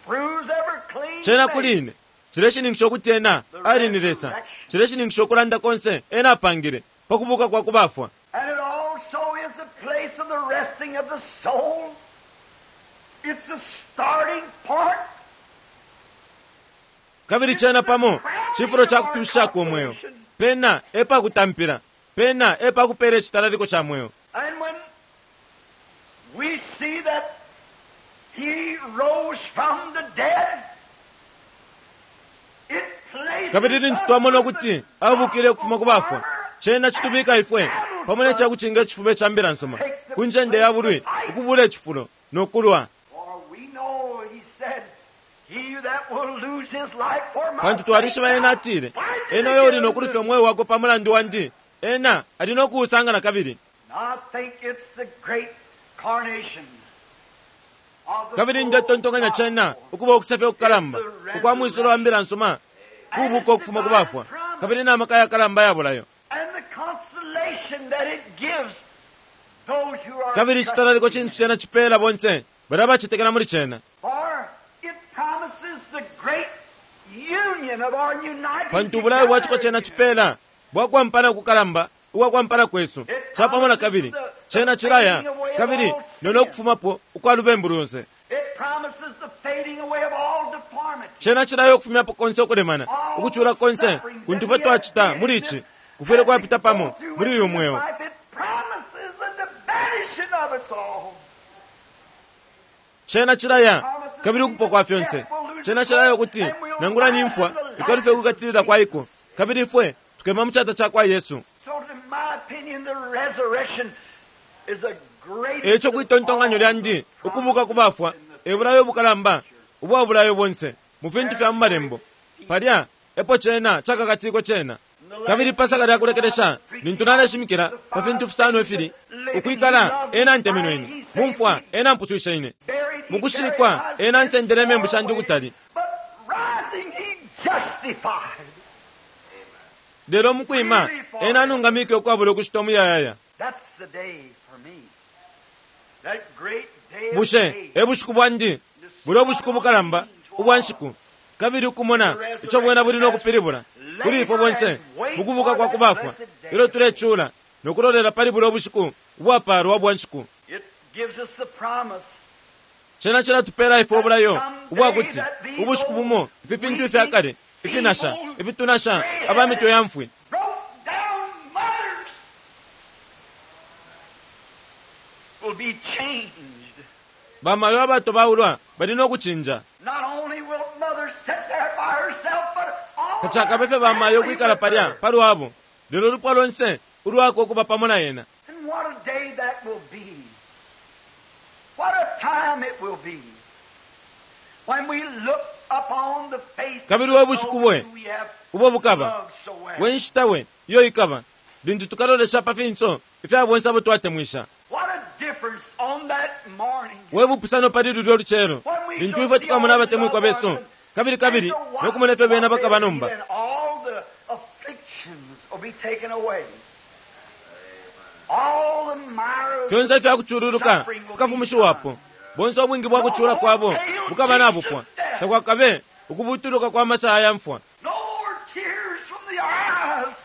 Proves every clean Cena thing. kuli ine cileshininkisha ukuti ena ali ni Lesa. Cileshininkisha ukulanda konse ena apangile pa kubuka kwa ku bafwa. And it also is the place of the resting of the soul. It's the starting point. Kabili cena pamo cifulo ca kutushishako umweo. Pena e pa kutampila, pena e pa kupeela icitalaliko ca mweo. And when we see that he rose from the dead, it places Kabili lintu us twamona with ukuti the abukile ukufuma ku bafwa, armor cena citubika ifwe pamo ne cakucinga icifuba ca mbila nsuma ku ncende ya bulwi ukubula icifulo no kulwa. For we know, he said, he that will lose his life for my Pantu twalishiba sake ena atile, ena uyo uli no kulufya umweo wakwe pa mulandu wandi, ena ali no kuusanga na kabili. I think it's the great carnation of the Kabili ndetontonkanya cena ukuba ukusefya ukukalamba ukwa mwisulo wa mbila nsuma kubuka ukufuma ku bafwa kabili na maka yakalamba ya bulayo. and the consolation that it gives those who are Kabili icitalaliko trusting cintu cena cipeela bonse balya bacetekela muli cena. For it promises the great union of our united Pantu ubulayo bwa ciko cena cipeela bwakwampana kukalamba ukwakwampana kwesu capamo na kabili cena cilaya kabili nono kufumapo ukwa lubembu lonse. It promises the fading away of all deformity. Cena cilaya ukufumyapo konse ukulemana ukucula konse kuntu fwe twacita muli ici kufwile kwapita pamo muli uyu mweo. It promises the vanishing of its all. Cena cilaya kabili ukupwa kwa fyonse. Cena cilaya ukuti nangula ni mfwa ikalufye ukukatilila kwa iko kabili ifwe tukema mu cata ca kwa Yesu. So in my opinion, the resurrection is the greatest Eco kwitontonkanyo lyandi ukubuka ku bafwa e bulayo bukalamba ubwa bulayo bonse mu fintu fya mu malembo. Palya epo cena cakakatikwe cena. Kabili pasaka lya kulekelesha lintu naleshimikila pa fintu fisano ifili ukwikala ena ntemenwe ine mumfwa ena mpuswishe ine buried. He mukushikwa carried my ena sins nsendele imembu far shandi away. ukutali. But rising, he justified. Lelo mukwima ena anungamike ukwabula ukushita umuyayaya. That's the day for me. That great day of Bushe days. e bushiku bwandi bulya ubushiku bukalamba ubwa nshiku kabili ukumona ico bwena buli no kupilibula kuli ifwe bonse mukubuka kwa kubafwa ilyo tulecula no kulolela pali bulya ubushiku ubwapaalwa bwa nshiku. It gives us the promise Cena cilatupela ifwe ubulayo ubwakuti ubushiku bumo ifi fintu ifya kale ifinasha ifitunasha aba mitwe ya mfwi broke down mothers will be changed. bamayo abato baulwa bali no kucinja. Not only will mother sit there by herself, but all Tacakabe fye bamayo ukwikala palya palwabo lelo lupwa lonse ulwako ukuba pamo na yena. And what a day that will be. What a time it will be. When we look upon the face Kabili we bushiku bwe, we have ubo bukaba loved so well. we nshita we iyo ikaba lintu tukalolesha pa finso ifya bonse abo twatemwisha. What a difference on that morning. We bupusano pali lulyo lucelo lintu ifwe tukamona abatemwikwa besu kabili kabili no kumona ifyo bena bakaba nomba. And all the afflictions will be taken away. All the mire Fyonse ifya kucululuka bukafumishiwapo, bonse ubwingi bwa kucula kwabo bukaba nabupwa. Takwakabe ukubutuluka kwa masaha ya mfwa. No more tears from the eyes.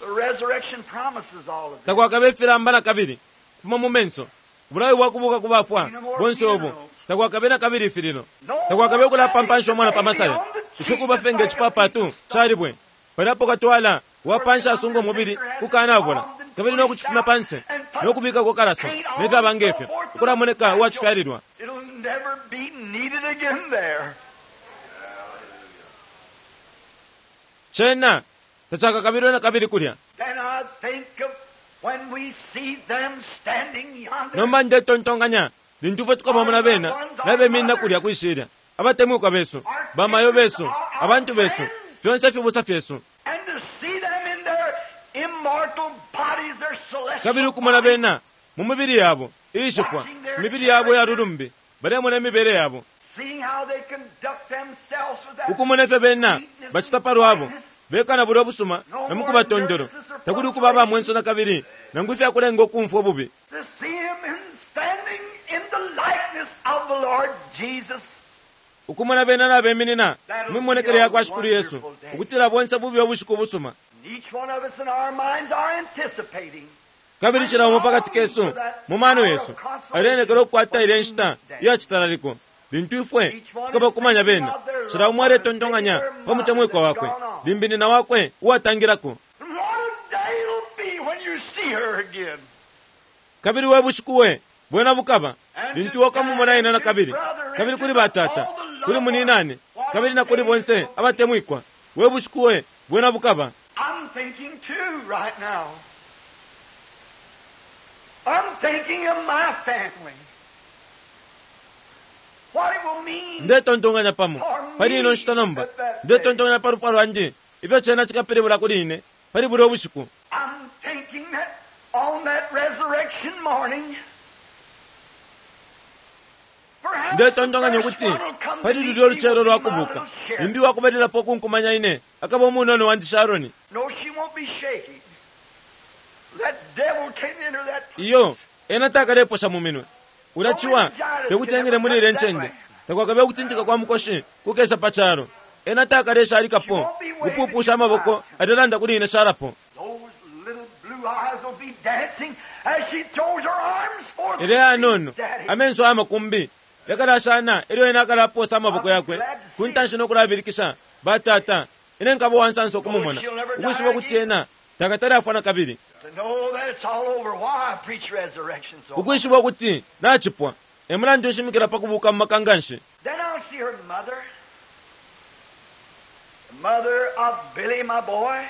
The resurrection promises all of this. Takwakabe ifilamba na kabili kufuma mu menso. Ubulayo bwa kubuka ku bafwa bonse ubu. Takwakabe na kabili ifililo. Takwakabe ukulapampansha umwana pa masaya. Ico fenge icipapatu calibwe. Paliapo katwala wapansha asunga umubili kukanabola kabili no kucifumya panse no kubikako kalaso ne fyaba ngefyo ukulamoneka uwacifyalilwa. It'll never be needed again there. Cena tacakakabilwe na kabili kulya. Then I think of when we see them standing yonder. Nomba ndetontonkanya lintu ifwe tukabamona bena nabeminina kulya kwishilya, abatemwikwa besu, bamayo besu, abantu besu, fyonse ifibusa fyesu, And to see them in their immortal bodies, their celestial kabili ukumona bodies, bena mu mibili yabo iishifwa, imibili yabo yalulumbi, balemona imibele yabo, seeing how they conduct themselves with that ukumona ifyo bena bacita palwabo bekana bulya busuma na mukuba tondolo, takuli ukuba abamwenso na kabili nangu ifyakulenga ukumfwa ububi. to see him in standing in the likeness of the Lord Jesus. Ukumona bena nabeminina mu mimonekele ya kwa Shikulu Yesu, ukutila bonse bubi ubushiku busuma. And each one of us in our minds are anticipating Kabili cila umo pakati kesu mu mano yesu alenekela ukukwata ilya nshita iyacitalaliko lintu ifwe tukaba kumanya bena. Cila umo aletontonkanya pa mutemwikwa wakwe, limbi nina wakwe uwatangilako. And what a day it'll be when you see her again. Kabili we bushiku we bwena bukaba lintu wakamumona ena na kabili, kabili kuli batata, kuli muninane, kabili na kuli bonse abatemwikwa. We bushiku we bwena bukaba. I'm thinking too right now. I'm thinking of my family. What it will mean Ndetontonkanya pamo pali ino nshita nomba, ndetontonkanya pa lupwa lwandi ifyo cena cikapilibula kuli ine pali bulya ubushiku. I'm thinking that on that resurrection morning, perhaps Ndetontonkanya the first ukuti one will come to pali meet lulyo me lucelo will be lwa my kubuka, little Sharon. limbi wakubalilapo ukunkumanya ine akaba umunono wandi Sharoni. No, she won't be shaking. That devil can't enter that. Iyo ena takaleposha mu minwe ulaciwa tekuti engile muli ile ncende, takwakabe ukutintika kwa mukoshi kukesa pa calo. Ena takalesha alikapo kupupusha amaboko alelanda kuli ine shalapo. Those little blue eyes will be dancing as she throws her arms forth. Ele yanono Daddy. amenso amakumbi yakalashana elyo ena akalaposa amaboko yakwe ku ntanshi nokulabilikisha, batata, ine nkaba uwansansa ukumumona, ukwishiba ukuti ena takatale afwa na kabili, To know that it's all over. Why I preach resurrection so much. ukwishiba ukuti nacipwa. E mulandu nshimikila pa kubuka mu maka nganshi. Then I'll see her mother. The mother of Billy, my boy.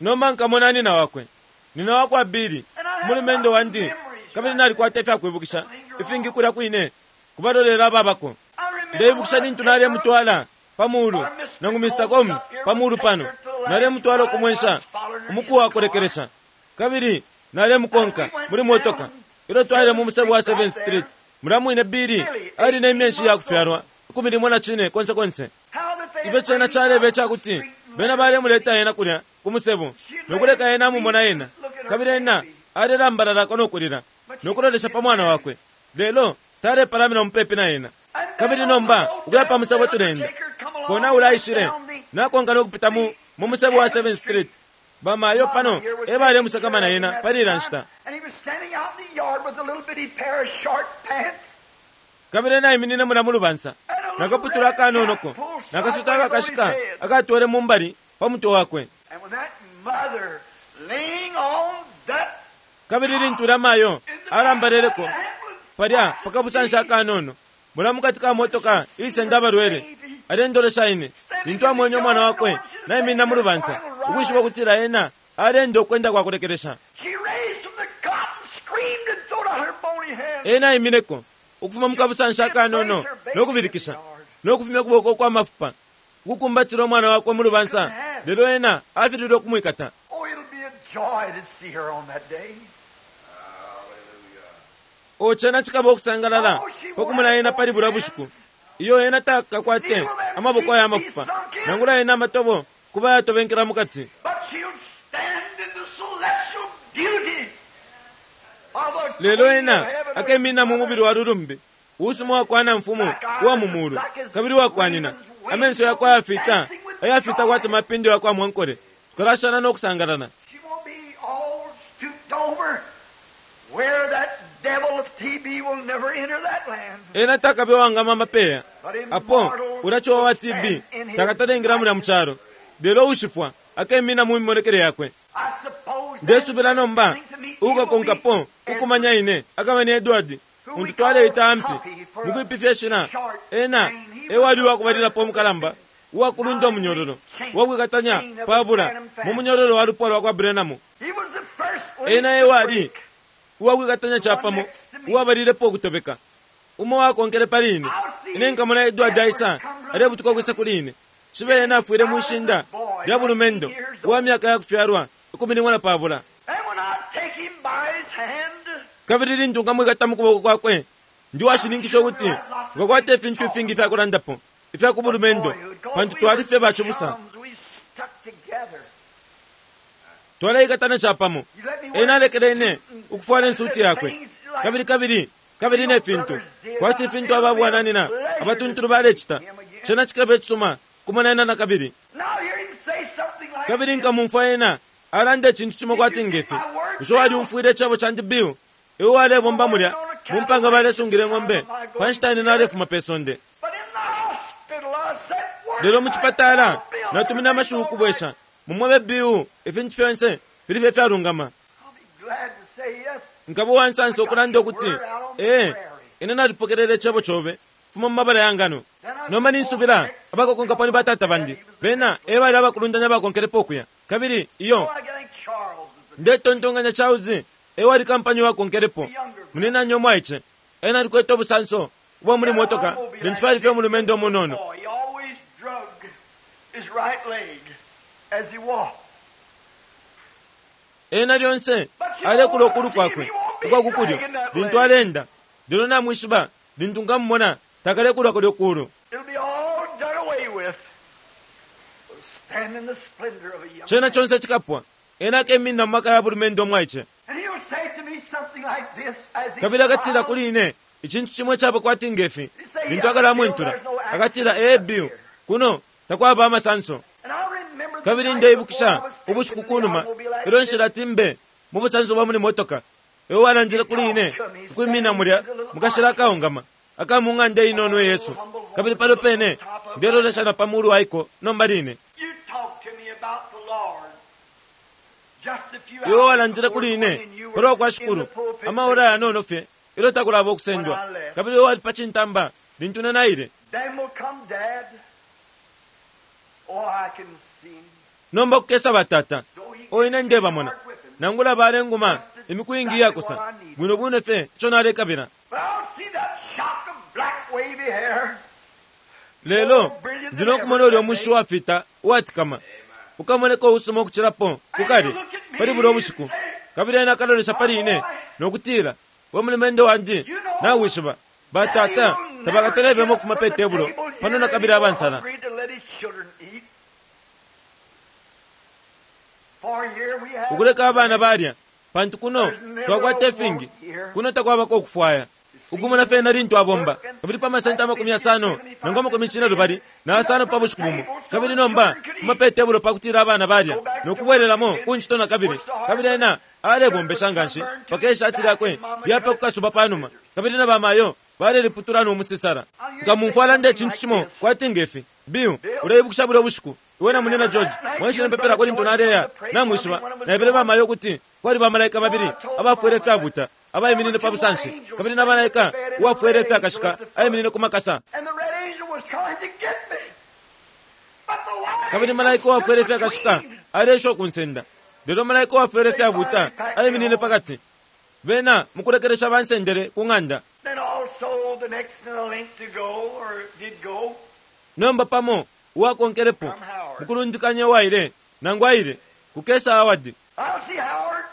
Nomba nkamona nina wakwe, nina wakwa Bili, umulumendo wandi, kabili nalikwata ifyakwibukisha ifingi kulya kwine kubalolela ababako. I remember Ndeibukisha when I lintu took her nalemutwala pa mulu nangu Mr. Combs pa mulu pano, nalemutwala ukumwensha umuku wa kulekelesha, kabili nalemukonka muli motoka ilyo twaile mu musebo wa 7th Street. Mulya mwine Bili ali ne myeshi ya kufyalwa 14 konse konse. How that they Ifyo cena calebe icakuti bena balemuleta ena kulya ku musebo nokuleka ena amumona ena, kabili ena alelambalalako nokulila nokulolesha pa mwana wakwe, lelo talepalamina mupepi na ena. Kabili nomba ukuya pa musebo tulenda kona ulaishile nakonka nokupita mu mu musebo wa 7th Street. Bamayo pano e balemusakamana ena pali ila nshita. And he was standing out in the yard with a little bitty pair of short pants. Kabili ena aiminine mula mu lubansa nakaputula akanonoko nakasuta akakashika akatwele mu mbali pa mutwe wakwe. And with that mother laying on that Kabili lintu ulya mayo alambaleleko palya pakabusanshi akanono mula mukati ka motoka iisenda abalwele, alendolesha ine lintu amwenye umwana wakwe naiminina mu lubansa, ukwishiba ukutila ena alenda ukwenda kwa kulekelesha. She raised from the cot and screamed and throwed out her bony hands. Ena aimineko ukufuma mukabusanshi akanono no kubilikisha no kufumya ukuboko kwa mafupa ukukumbatila umwana wakwe mu lubansa, lelo ena afililwe ukumwikata. Oh, it'll be a joy to see her on that day. O cena cikaba ukusangalala pakumona ena pali bulya bushiku. Iyo ena takakwate amaboko aya mafupa nangula ena amatobo kuba yatobenkela mukati. But she'll stand in the celestial beauty of the Lelo Queen ena of heaven. akemina mu mubili wa lulumbi uusuma wakwana mfumu uwa mu mulu kabili wakwanina amenso yakwe ayafita ayafita kwati mapindo yakwa mwankole tukalashana no kusangalala. She won't be all stooped over where that devil of TB will never enter that land. Ena takabe wangama amapeya But apo immortal ulachowa wa will TB stand in his takatalengela mulya mu chalo lelo ushifwa akemina mu mimonekele yakwe. I suppose Ndesubila nomba that to meet me will ukakonkapo be ukumanya ine akaba ni Edward untu twaleita ampi mukwipifya shina ena ewali uwakubalilapo omukalamba uwakulunda omunyololo uwakwikatanya pabula mu munyololo wa lupwa lwa kwa Branham. He was the first link Ena to ewali break. uwakwikatanya chapamo uwabalilepo ukutobeka umo wakonkele pali ine. Ine nkamona Edward aisa alebutuka kwisa kuli ine shibe ena afwile mwishinda lya bulumendo uwa myaka yakufyalwa 15. And when I take him by his hand, Kabili lintu nkamwikata mu kuboko kwakwe ndi washininkisha ukuti ngakwata ifintu ifingi ifyakulandapo ifya ku bulumendo pantu twali fye bacibusa chums, we stuck together. twaleikatana chapamo. You let me wear Ena alekele ine suit and ukufwala ensuti yakwe things like kabili kabili kabili ne fintu kwati ifintu ababwananina abatuntulu balecita. Cena cikaba icisuma kumona ena nakabili. Now hear him say something like Kabili this. nkamumfwa ena alanda icintu cimo kwati ngefi. Bushe walyumfwile icebo candi Bill? Iwe walebomba mulya mu mpanga balesungila ing'ombe pa nshita ine nalefuma pe sonde. But in the hospital I sent word Lelo mu back, chipatala "Bill, natumine everything's amashiwi all ukubwesha right." mumwebe Bill ifintu fyonse fili fye fyalungama. I'll be glad to say yes. Nkaba uwansansa ukulanda ukuti ee ine nalipokelele icebo cobe fuma mu mabala ya ngano. Nomba ninsubila abakokonkapo ni batata bandi bena ebali abakulundanya bakonkelepo ukuya kabili iyo Oh, I think Charles was the ndetontonkanya Charles ewali kampanyi wakonkelepo munenanyo omwaice ena alikwete obusanso ubwa muli motoka lintu fyali fye omulumendo omunono. boy. He always drug his right leg as he walked. Ena lyonse alekula ukulu kwakwe ukwa kukulyo lintu alenda lelo namwishiba lintu nkamumona takalekula kulyo kulu. It'll be all done away with. We'll stand in the splendor of a young Cena man. chonse chikapwa ena akeminina mu maka ya bulumendo omwaice. And he'll say to me something like this as he Kabili akatila smiles. kuli ine icintu chimwe chaba kwati ngefi lintu akalamwentula akatila ee Bill kuno takwaba amasanso. And I remember the Kabili night ndeibukisha before I was taken ubushiku in the kunuma automobile ilyo accident. nshilati mbe mu busanso bwa muli motoka iwe walandile kuli ine ukwimina mulya mukashila akaungama aka mu ng'anda inono Yesu kabili palo pene ndelolesha na pa mulu waiko nomba line. You talked to me about the Lord. Just a few Iwe hours walandile before kuli going ine in, you were palwa kwa in shikulu the pulpit amaora yanono fye ilyo takulaba okusendwa kabili iwe wali pa cintamba lintu ine naile. Then will come Dad. Oh, I can see him. Nomba kukesa batata Though he o ine gets ndebamona hard with him. nangula balenguma imiku ingi yakosa bwino bwino fye ico nalekabila. But I'll see that shock of black wavy hair. Lelo ndino kumona ulya omushi wafita uwatikama ukamoneka uusuma ukucilapo kukali pali bulya obushiku kabili ena akalolesha pali ine nokutila we mulumendo wandi nawishiba batata tabakatalebemo ukufuma pe tebulo pano nakabili abansala. Agreed to let his children eat. For here we have Ukuleka abana balya pantu kuno twakwata ifingi kuno takwabako okufwaya ukumona fena lintu abomba kabili pa masenti 50 nangu 45 pa bushiku bumo kabili nomba kuma pe tebulo pakutila abana balya nokubwelelamo kunchito na kabili kabili ena alebombesha nganshi paka ishati lyakwe lyape kukasuba panuma kabili na bamayo baleliputula nomusisala. Nkamumfwa alanda icintu cimo kwati ngefi Bill uleibukisha bulya bushiku iwe na munina George mwaishile mpepelako lintu naleya namwishiba naebele bamayo ukuti kwali bamalaika babili abafwele ifyabuta abaiminine pa busanshi kabili na malaika uwafwele ifyakashika aiminine ku makasa. And the red angel was trying to get me. But the white Kabili angel malaika uwafwele stood ifyakashika between. aleesha ukunsenda lelo malaika uwafwele ifyabuta aiminine pakati bena mukulekelesha bansendele ku ng'anda. Then all Also, the next in the link to go, or did go, Nomba pamo uwakonkelepo mukulundikanya uwaile nangu aile kukesa Howard. I'll see Howard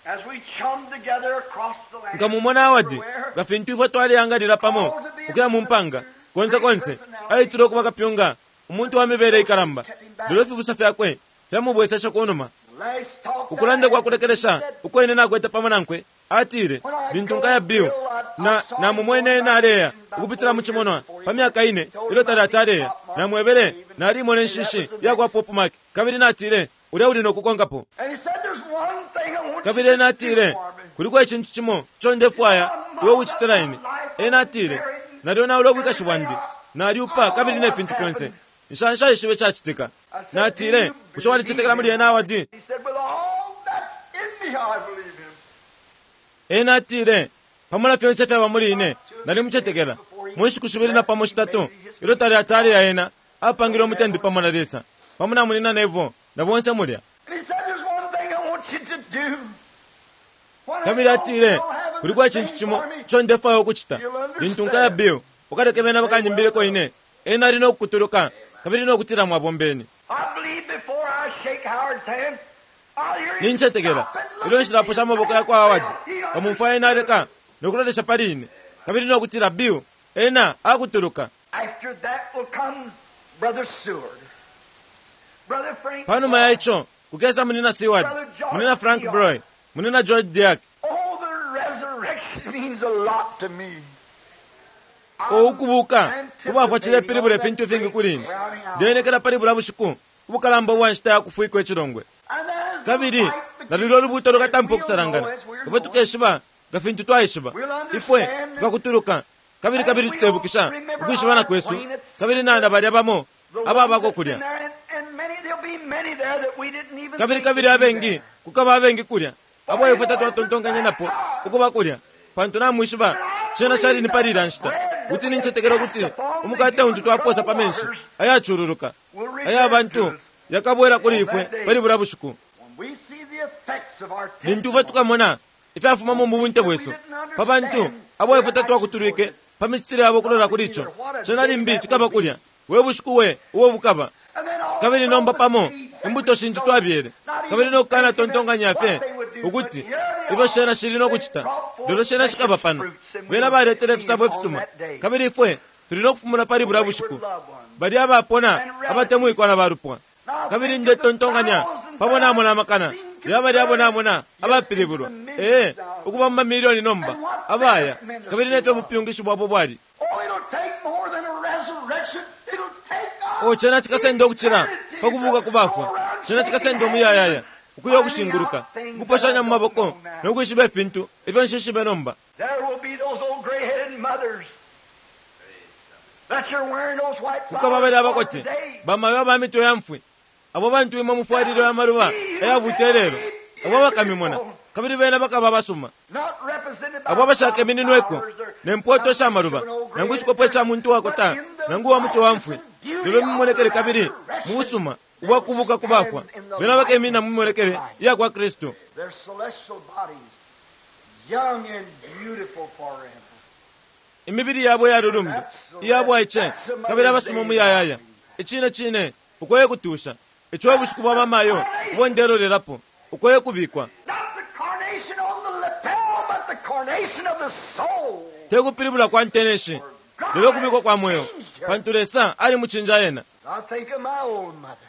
as we chum together across the land. Nkamumona Howard everywhere. nga fintu ifwe twaleangalila pamo ukuya mu mpanga konse konse aitile ukuba kapyunga umuntu wa mibele ikalamba lelo ifibusa fyakwe fyamubweseshe kunuma. Last talk that Ukulanda I kwa had, kulekelesha he said, uko ine nakwete pamo nankwe atile lintu nkaya Bill na namumwene ena aleya ukupitila mu cimonwa pa myaka ine ilyo talati aleya namwebele nalimona inshishi iya kwa Pop Mark kabili natile ulya uli nokukonkapo. And he said, there's one thing I want Kabili you ena to do atile for me. kuliko icintu cimo ico ndefwaya iwe ukucitila ine. Ena atile nalyonaula ubwikashi bwandi nalyupa kabili ne fintu fyonse nshanshaishibe cacitika. Natile bushe walicetekela muli ena Howard? He said, with all that's in me, I believe him. Ena atile pamo na fyonse fyaba muli ine nalimucetekela. Mu nshiku shibili na pamo shitatu ilyo talati aleya ena apangile umutende pamo na Lesa pamo na munina Nevo na bonse mulya. And he said, there's one thing I want you to do. When I Kabili go, atile you'll have kuliko the icintu same cimo for me. ico ndefwaya ukucita lintu nkaya Bill ukaleke bena bakanyimbile ine. Ena ali nokukutuluka kabili nokutila mwabombeni. I believe before I shake Howard's hand, I'll hear him Nincetekela stop and look ilyo at nshilaposha me. amaboko yakwa Howard He kamumfwa ena aleka nokulolesha pali ine kabili nokutila Bill ena akutuluka. After that will come Brother Seward. Brother Frank Panuma ya Broy. ico kukesa munina Seward, munina Frank Broy, munina George Diak. Oh, the resurrection means a lot to me. Ukubuka kubafwa cilepilibula ifintu ifingi kuli ine. Ndenekela pali bula bushiku ubukalamba ubwa nshita ya kufwikwa icilongwe. Kabili na lulyo lubuto lukatampa ukusalangana ifwe tukeshiba nga fintu twaishiba ifwe tukakutuluka kabili kabili tukebukisha ukwishibana kwesu kabili nana balya bamo ababako kulya. Kabili kabili abengi kukaba abengi kulya abo ifwe tatwatontonkanya napo ukuba kulya pantu namwishiba cena cali ni pali ilya nshita kuti nincetekela ukuti umukate untu twaposa pa menshi ayacululuka aya bantu yakabwela kuli ifwe pali bula bushiku. Lintu ifwe tukamona ifyafumamo mu bunte bwesu pa bantu abo ifwe tatwakutulwike pa micitile yabo kulola kuli ico cena limbi cikaba kulya we bushiku we ubo bukaba. Kabili nomba pamo imbuto shintu twabyele kabili nokukana tontonkanya fye ukuti ifyo shena shili nokucita lelo shena shikaba pano bena baletele ifisabo ifisuma kabili ifwe tuli nokufumuna pali bula bushiku bali abapona abatemwikwa na balupwa. Kabili ndetontonkanya pamo namona amakana yabali abo namona abapilibulwa ee ukuba mu mamilioni nomba abaya kabili nefyo bupyungishi bwabo bwali. Oh, it'll take more than a resurrection. It'll take us O cena cikasenda ukucila pa kubuka ku bafwa cena cikasenda umuyayaya ukuya ukushinguluka ukuposhanya mu maboko nokwishiba ifintu ifyo nshishibe nomba. There will be those old gray-headed mothers that you're wearing those white Kukaba flowers bali for abakote today. bamayo aba mitwe ya mfwi abo bantu imwe mufwalilo ya maluba ayabuta lelo abo bakamimona kabili bena bakaba abasuma Not represented by abo abashakemininweko flowers or ne mpoto sha maluba nangu icikopo ca muntu wakota nangu wa mutwe wa mfwi lelo mimonekele kabili mu busuma ubwa kubuka ku bafwa bena bakemina mu mimonekele iya kwa Kristu. Their celestial bodies, young and beautiful forever. Imibili yabo yalulumbi iya bwaice kabili abasuma umuyayaya icine cine ukoye kutusha ico ubushiku bwa bamayo ubo ndelolelapo ukoye kubikwa. Not the carnation on the lapel, but the carnation of the soul. Te kupilibula kwa nteneshi lelo kubikwa kwa mweo pantu Lesa ali mucinja ena. I think of my old mother.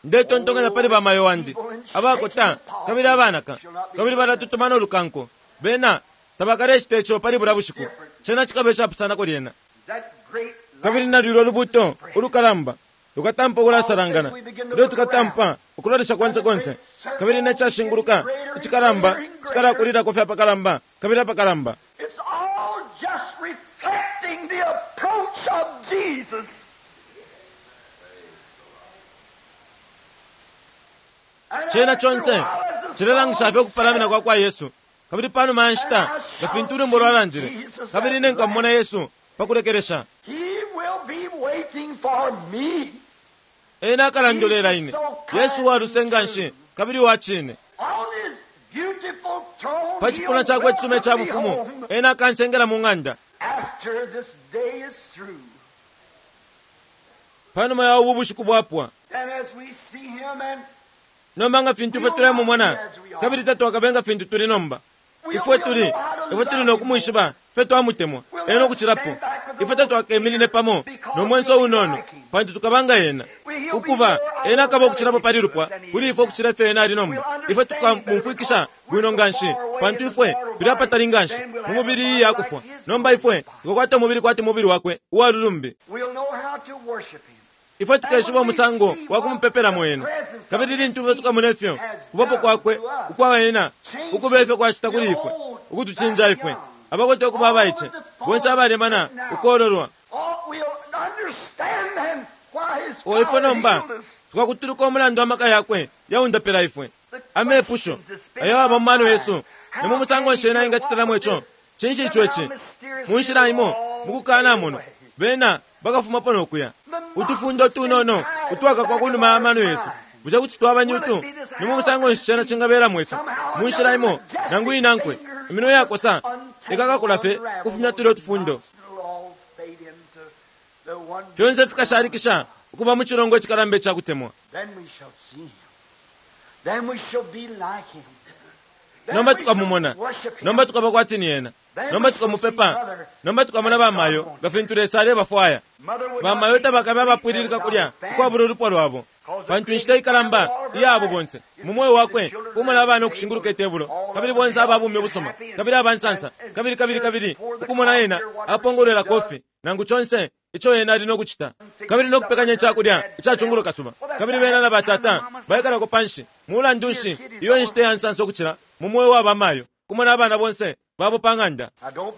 Ndetontonkanya pali bamayo wandi abakota kabili abanaka kabili balatutuma nolukanko bena tabakalecita ico pali bula bushiku cena cikaba icapusanako lyena. That great Kabili nalwilo lubuto ulukalamba lukatampa ukulasalangana ilyo tukatampa ukulolesha konse konse kabili necashinguluka icikalamba cikalakulilako fye apakalamba kabili apakalamba. It's all just reflecting the approach of Jesus. And Cena after a conse while, as the cilelangisha fye song ukupalamina kwa kwa Yesu kabili panuma ya nshita nga fintu ulwimbo lwalandile kabili ine nkamumona Yesu pakulekelesha. He will be waiting for me. Ena akalandolela ine Yesu waluse nga nshi kabili wa cine. On his beautiful throne, Pa cipuna cakwe icisuma ica bufumu ena akansengela mu ng'anda. After this day is through, Panuma ya ubu bushiku bwapwa, and as we see him and nomba nga fintu ifwe tulemumona, kabili tatwakabe nga fintu tuli nomba. Ifwe tuli, ifwe tuli nokumwishiba, ifwe twamutemwa ena ukucilapo. Ifwe tatwakeminine pamo no mwenso unono, pantu tukaba nga ena. Ukuba ena akaba ukucilapo pali lupwa kuli ifwe ukucila ifyo ena ali nomba. Ifwe tukamumfwikisha bwino nganshi, pantu ifwe tuli apatali nganshi mu mubili iyi yakufwa. Nomba ifwe tukakwata umubili kwati mubili wakwe uwalulumbi. we'll know how to worship him. Ifwe tukeshiba umusango wa kumupepelamo ena. Kabili lintu ifwe tukamona ifyo kubapo kwakwe ukwa ena ukuba ifyo kwacita kuli ifwe, ukutucinja ifwe abakote ukuba abaice bonse abalemana ukololwa. Oh, we'll understand then why his O ifwe power nomba healed us. tukakutuluka umulandu wa maka yakwe yaundapila ifwe. Amepusho ayo aba mu mano yesu ni mu musango nshi ena engacitilamo ico? Cinshi ico ici? Mu nshila imo mukukana muno bena bakafumapo no kuya. Utufundo tunono utwakakwa ku numa ya mano yesu bushe kuti twaba ni utu? Ni mu musango nshi cena cingabelamo ifyo? Mu nshila imo nangu inankwe iminwe yakosa ikakakula fye kufumya tulya utufundo. It'll all fade into the one. Fyonse fikashalikisha ukuba mu cilongo icikalamba icakutemwa. Then we shall see him. Then we shall be like him. Then Nomba we shall tukamumona, worship him. nomba tukaba kwati ni ena, nomba tukamupepa, nomba tukamona bamayo nga fintu Lesa alebafwaya. Mother would Bamayo not be tabakabe abapwililika kulya ukwabula ulupwa lwabo, pantu inshita ikalamba iyabo bonse mu moyo wakwe kumona abana ukushinguluka itebulo, kabili bonse ababumi ubusuma, kabili abansansa, kabili kabili kabili ukumona ena apongolwela kofi nangu conse ico ena ali nokucita, kabili nokupekanya icakulya icacungulo kasuba, kabili bena na batata baikalako panshi. Mulandu nshi iyo inshita ya nsansa ukucila mu moyo wa bamayo kumona abana bonse babo pa ng'anda? Now don't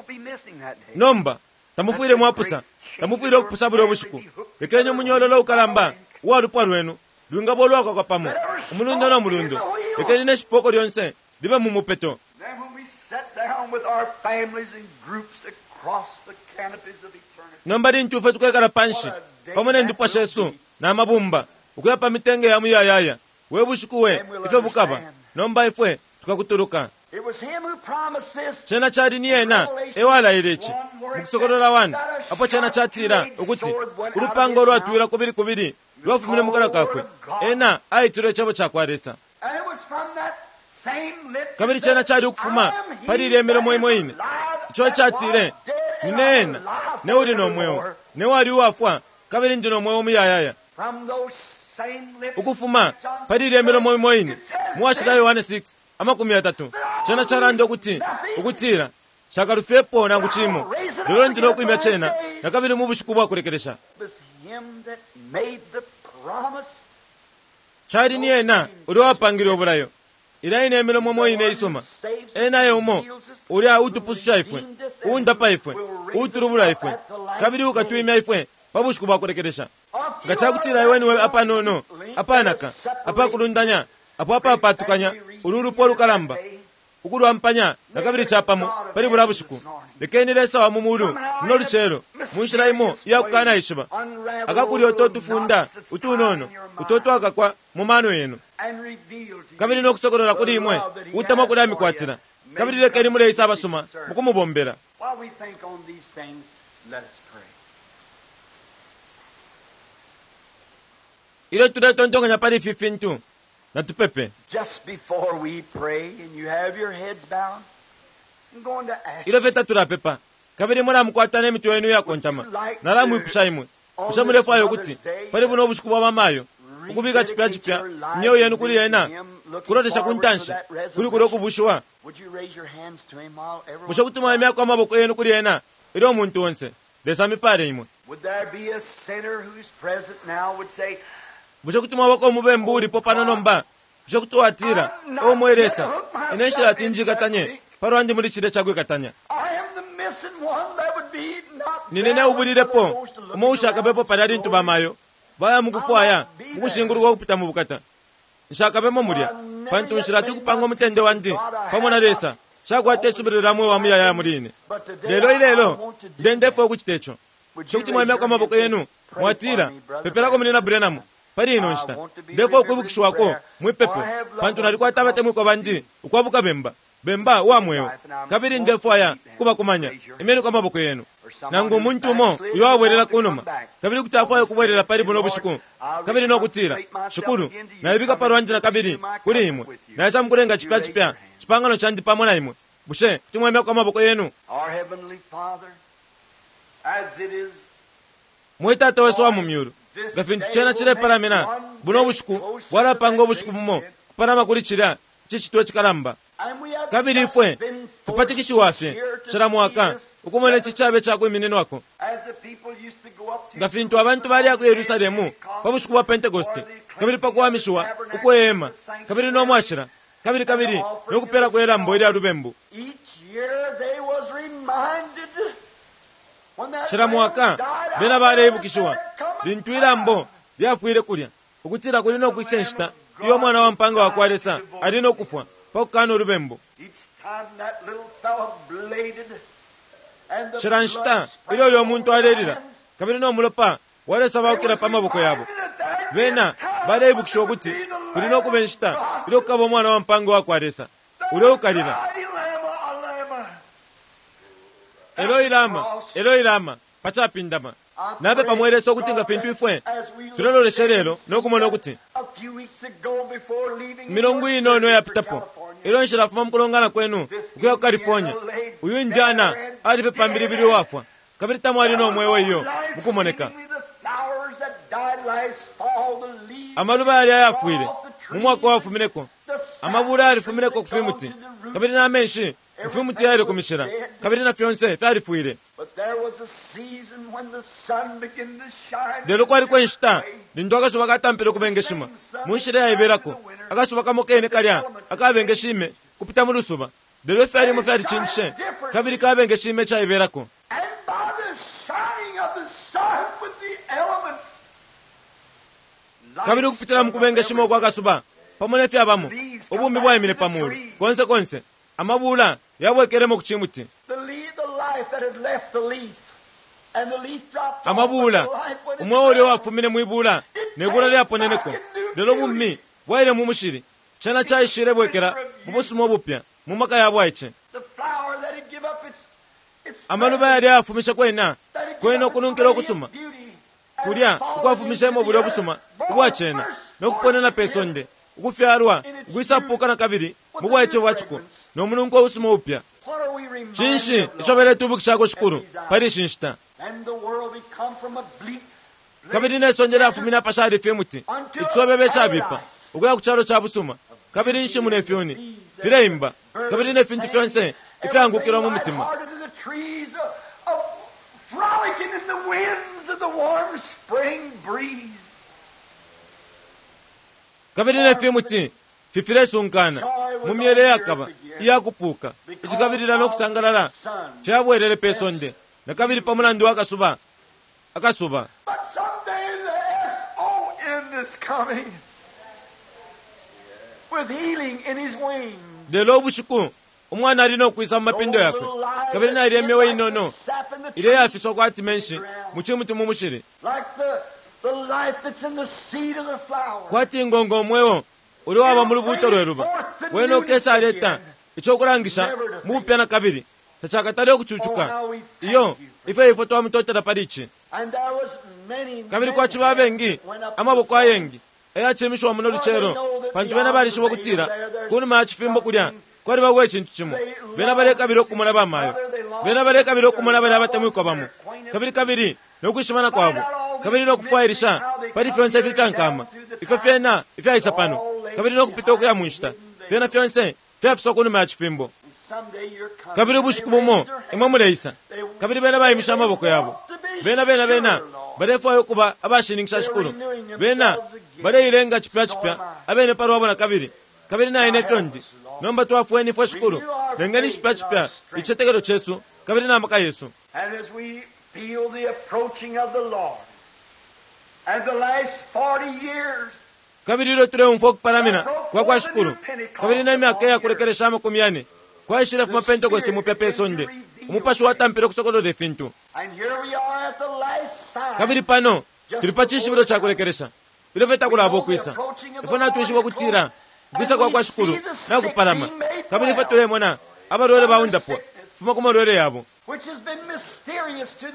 be missing that day. Nomba tamufwile mwapusa, tamufwile ukupusa bulya bushiku. Lekeni umunyololo ukalamba uwa lupwa lwenu lwingaba ulwakakwa pamo umulundo no mulundo. Lekeni ne shipoko lyonse libe mu mupeto. Then when we sat down with our families and groups across the canopies of eternity, Nomba lintu ifwe tukekala panshi pamo ne ndupwa shesu na mabumba ukuya pa mitenge ya muyayaya, we bushiku we ifyo bukaba. Nomba ifwe tukakutuluka. it was him who promised this. Cena cali ni ena ewalaile ici mu Kusokolola 1, apo cena catila ukuti ulupanga ulwatwila kubili kubili lwafumine mu kanwa kakwe. Ena aitilwe icebo ca kwa Lesa. And it was from that same lips Kabili cena cali ukufuma I am he pali ilya milomo that imo is ine alive, ico that catile, was dead, and nine I ena am alive ne uli no mweo, forevermore. ne wali uwafwa, kabili ndi no mweo muyayaya. From those same lips, Ukufuma pali ilya milomo imo ine mu washila Yohane 6 30, cena calanda ukuti ukutila shakalufyepo nangu cimo, lelo ndi no kwimya cena nakabili mu bushiku bwa kulekelesha. it was him that made the promise. Cali ni ena ulya wapangile ubulayo. Ilya ine imilomo imo ine isuma. Ena e umo ulya utupususha ifwe, uundapa ifwe, uutulubula ifwe, kabili ukatwimya ifwe pa bushiku bwa kulekelesha. Nga cakutila iwe niwe apanono, apanaka, apakulundanya, apo apapatukanya ulu lupwa lukalamba, ukulwampanya nakabili capamo pali bulya bushiku. Lekeni Lesa wa mu mulu muno lucelo mu nshila imo iyakukanaishiba akakulya uto tufunda utunono uto twakakwa mu mano yenu, And reveal to you kabili nokusokolola kuli imwe utemwa kuli amikwatila. Kabili lekeni muleisa abasuma mukumubombela. While we think on these things, let us pray. Ilyo tuletontonkanya pali ifi fintu, natupepe. Just before we pray and you have your heads bowed, I'm going to ask Ilyo fye tatulapepa, kabili mulamukwata ne mitwe yenu iyakontama, nalamwipusha imwe, bushe mulefwaya ukuti pali buno ubushiku bwa bamayo ukubika cipya cipya imyeo yenu kuli ena, kulolesha ku ntanshi kuli kulya ukubushiwa? Would you raise your hands to him while everyone Bushe kuti mwaimyako amaboko yenu kuli ena ilyo umuntu onse? Lesa amipale imwe. Would there be a sinner who's present now would say, Bushe kuti mwabako umubembu ulipo pano nomba? Bushe kuti watila, O mwe Lesa, ine nshilati njikatanye palwandi muli cilya cakwikatanya. I am the missing one that would be not Nine there ubulilepo when goes to look umo ushakabepo palya lintu bamayo baya mukufwaya mukushinguluka ukupita mu bukata. Nshakabemo mulya pantu nshilati ukupanga umutende wandi pamo na Lesa shakwata isubilo lya mweo wa muyayaya muli ine. But today Lelo I ilelo want to do ndendefwa ukucita ico. Would Bushe you kuti raise mwaimyako your amaboko hands and yenu pray mwatila, for me, Brother pepelako muli na Branham pali ino nshita. Ndefwa ukwibukishiwako mwipepo pantu nalikwata abatemwikwa bandi ukwabuka bemba. bemba uwa mweo, kabili ndefwaya kubakumanya. Imyeniko amaboko yenu. Nangu umuntu umo uyo wabwelela kunuma, kabili kuti afwaya ukubwelela pali buno bushiku, kabili no kutila, Shikulu, naibika palwandi na kabili kuli imwe, naisa mukulenga cipya cipya cipangano candi pamo na imwe. Bushe kuti mwemyako amaboko yenu? Our Heavenly Father, as it is Mwe Tata wesu wa mu myulu, nga fintu cena cilepalamina buno bushiku bwalapanga ubushiku bumo kupalama kuli cilya cicitwe cikalamba. And we have Kabili just ifwe been forced tupatikishiwa fye here to cila mwaka see this ukumona ici cabe cakwimininwako. as the people used to go up to Nga fintu abantu baliya ku Yerusalemu pa bushiku bwa Pentekoste, kabili pa kuwamishiwa ukwehema, kabili no mwashila, kabili kabili no kupela kwelambo ilya lubembu. Each year they was reminded when that Cila mwaka lamb died bena out baleibukishiwa there, there cometh lintu ilambo lyafwile kulya, ukutila kuli no kwisa inshita iyo umwana wa mpanga wa kwa Lesa ali no kufwa pa kukana ulubembu. Each time that little fellow bladed and the Cila nshita blood ilyo ulyo muntu alelila, sprinkled kabili no mulopa walesabaukila pa maboko yabo, bena baleibukisha ukuti kuli no kuba inshita ilyo kukaba umwana wa mpanga wa kwa Lesa ulyo ukalila, Eloi lama, Eloi lama, pacapindama. Napepa mwe Lesa ukuti nga fintu ifwe tulelolesha lelo no kumona ukuti milungu inono yapitapo ilyo nshilafuma mukulongana kwenu ukuya ku California, uyu indiana alife pambilibili uwafwa, kabili tamwali no mweo iyo mukumoneka. Amaluba yali ayafwile mu mwaka wafumineko, amabula yalifumineko ku fimuti, kabili na menshi mu fimuti yali ku mishila, kabili na fyonse fyalifwile. Lelo kwaliko inshita lintu akasuba katampile ukubengeshima mu nshila yaibelako, akasuba kamo kene kalya akabengeshime kupita mu lusuba, lelo ifyalimo fyalicinjishe kabili kabengeshime icaibelako. And by the shining of the sun with the elements, Kabili ukupitila mu kubengeshima ukwa kasuba pamo ne fyabamo, ubumi bwaimine pa mulu konse konse, amabula yabwekelemo ku cimuti. the leaf, the life that had left the leaf, and the leaf dropped off, Amabula but the life went in umweo the ulyo ground. wafumine mwibula ne bula lyaponeneko, lelo bumi bwaile mu mushili, cena caishile bwekela mu busuma ubupya mu maka ya bwaice. The flower that had give up its Amaluba yali ayafumisha kwena that had give kwena up its ukununkila radiant ukusuma beauty, and kulya fallen ukwafumishemo into the bulya earth, busuma born ubwacena first no kuponena pe sonde, ukufyalwa ukwisapuka na kabili mu bwaice bwa ciko no mununko usuma upya. What are we reminded Cinshi of, ico Lord? beletubukishako Shikulu pali ishi nshita? And the world become from a bleak Kabili ne sonde lyafumine apashali fimuti icisobebe cabipa ukuya ku calo ca busuma, kabili inshimu ne fyuni fileimba, kabili ne fintu fyonse ifyangukilwa mu mutima. Lighthearted in the trees of frolicking in the winds of the warm spring breeze. Kabili ne fimuti fifilesunkana mu myele yakaba iyakupuka, icikabilila no kusangalala fyabwelele pe sonde na kabili pa mulandu wa kasuba akasuba. But someday the S-O-N is coming with healing in his wings. Lelo ubushiku umwana ali no kwisa mu mapindo yakwe, kabili nailya imyeo inono ilyo yafiswa kwati menshi mu cimuti mu mushili, Like the life that's in the seed of the flower. kwati ngongo umweo uli waba mu lubuuto lwe luba. Wene ukesa aleta ico kulangisha mu bupya na kabili tacakatale ukucucuka. Iyo ifwe ifwe twamutotela pali ici. And there was many, Kabili many kwaciba abengi went up amaboko to ayengi ayacimishiwa muno lucelo, pantu bena balishiba ukutila kunuma ya cifimbo kulya kwalibako icintu cimo. Bena balekabila ukumona bamayo, bena balekabila ukumona bali abatemwikwa bamo, kabili kabili no kwishimana kwabo, kabili no kufwailisha pali fyonse ifi fyankama ifyo fyena ifyaisa pano, kabili no kupita ukuya mu nshita, fyena fyonse fyafiswa kunuma ya cifimbo. Someday you're coming. Kabili ubushiku bumo imwe muleisa, kabili bena baimisha amaboko yabo, bena bena bena balefwaya ukuba abashininkisha Shikulu, bena baleilenga cipya cipya abene palwabo na kabili, kabili naine ifyo ndi. Nomba twafweni ifwe Shikulu, lengeni cipya cipya icitetekelo cesu kabili na maka yesu. And as we feel the approaching of the Lord, and the last 40 years, Kabili ilyo tuleumfwa ukupalamina kwa kwa Shikulu, kabili na myaka iyakulekelesha 40 kwaishile fuma Pentekoste mupya pe sonde, umupashi watampile ukusokolola ifintu. and here we are at the last sign. Kabili pano tuli pa cishibilo ca kulekelesha ilyo fye takulaba ukwisa. Ifwe natwishiba ukutila ukwisa kwa kwa Shikulu nakupalama, Kabili ifwe tulemona abalwele baundapwa kufuma ku malwele yabo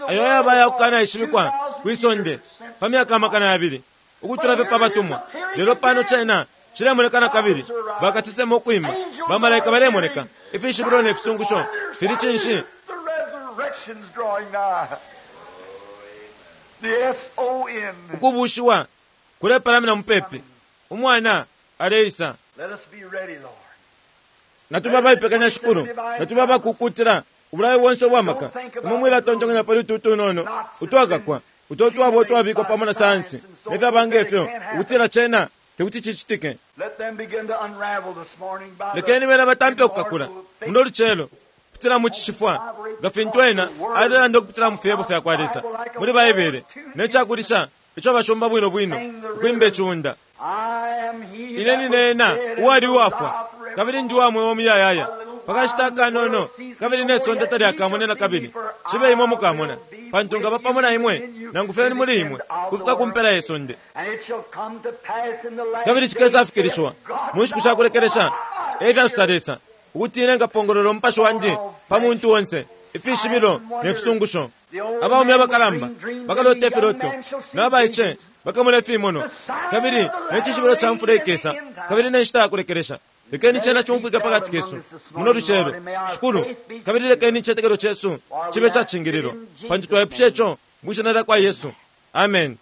ayo ayaba ayakukanaishibikwa kwi sonde pa myaka 2,000 ukutula fye pa batumwa. Lelo pano cena cilemoneka na kabili, bakasesema ukwima, bamalaika balemoneka, ifishibilo ne fisungusho fili cinshi? Ukubuushiwa kulepalamina mupepi, Umwana aleisa. Natube abaipekanya, Shikulu, natube abakukutila ubulayo bonse ubwa maka. Imwe mwilatontonkanya pali utu utunono utwakakwa uto twaba utwabikwa pamo na sayansi ne fyaba nge fyo, ukutila cena tekuti cicitike. Lekeni bena batampe ukukakula muno lucelo kupitila mu cishifwa, nga fintu ena alelanda ukupitila mu fyebo fya kwa Lesa muli Baibele, ne cakulisha ico bashomba bwino bwino ukwimba iciunda. Ine nine ena uwali uwafwa, kabili ndi uwa mweo muyayaya pakashita akanono, kabili ne sonde talyakamone na kabili. Cibe imwe mukamona, pantu ngaba pamo na imwe, nangu fye ni muli imwe, kufika ku mpela ye sonde. Kabili cikesafikilishiwa mu nshiku sha kulekelesha, e fyasosa Lesa, ukuti ine nkapongolola umupashi wandi pa muntu onse, ifishibilo ne fisungusho. Abaume abakalamba bakalota ifiloto, na baice bakamona ifimonwa, kabili ne cishibilo ca mfula ikesa, kabili ne nshita ya kulekelesha. Lekeni cena cumfwike pakati kesu muno lucelo, Shikulu, kabili lekeni icitetekelo cesu cibe cacingililwa, pantu twaipusha ico mwi Shina lyakwa Yesu. Amen.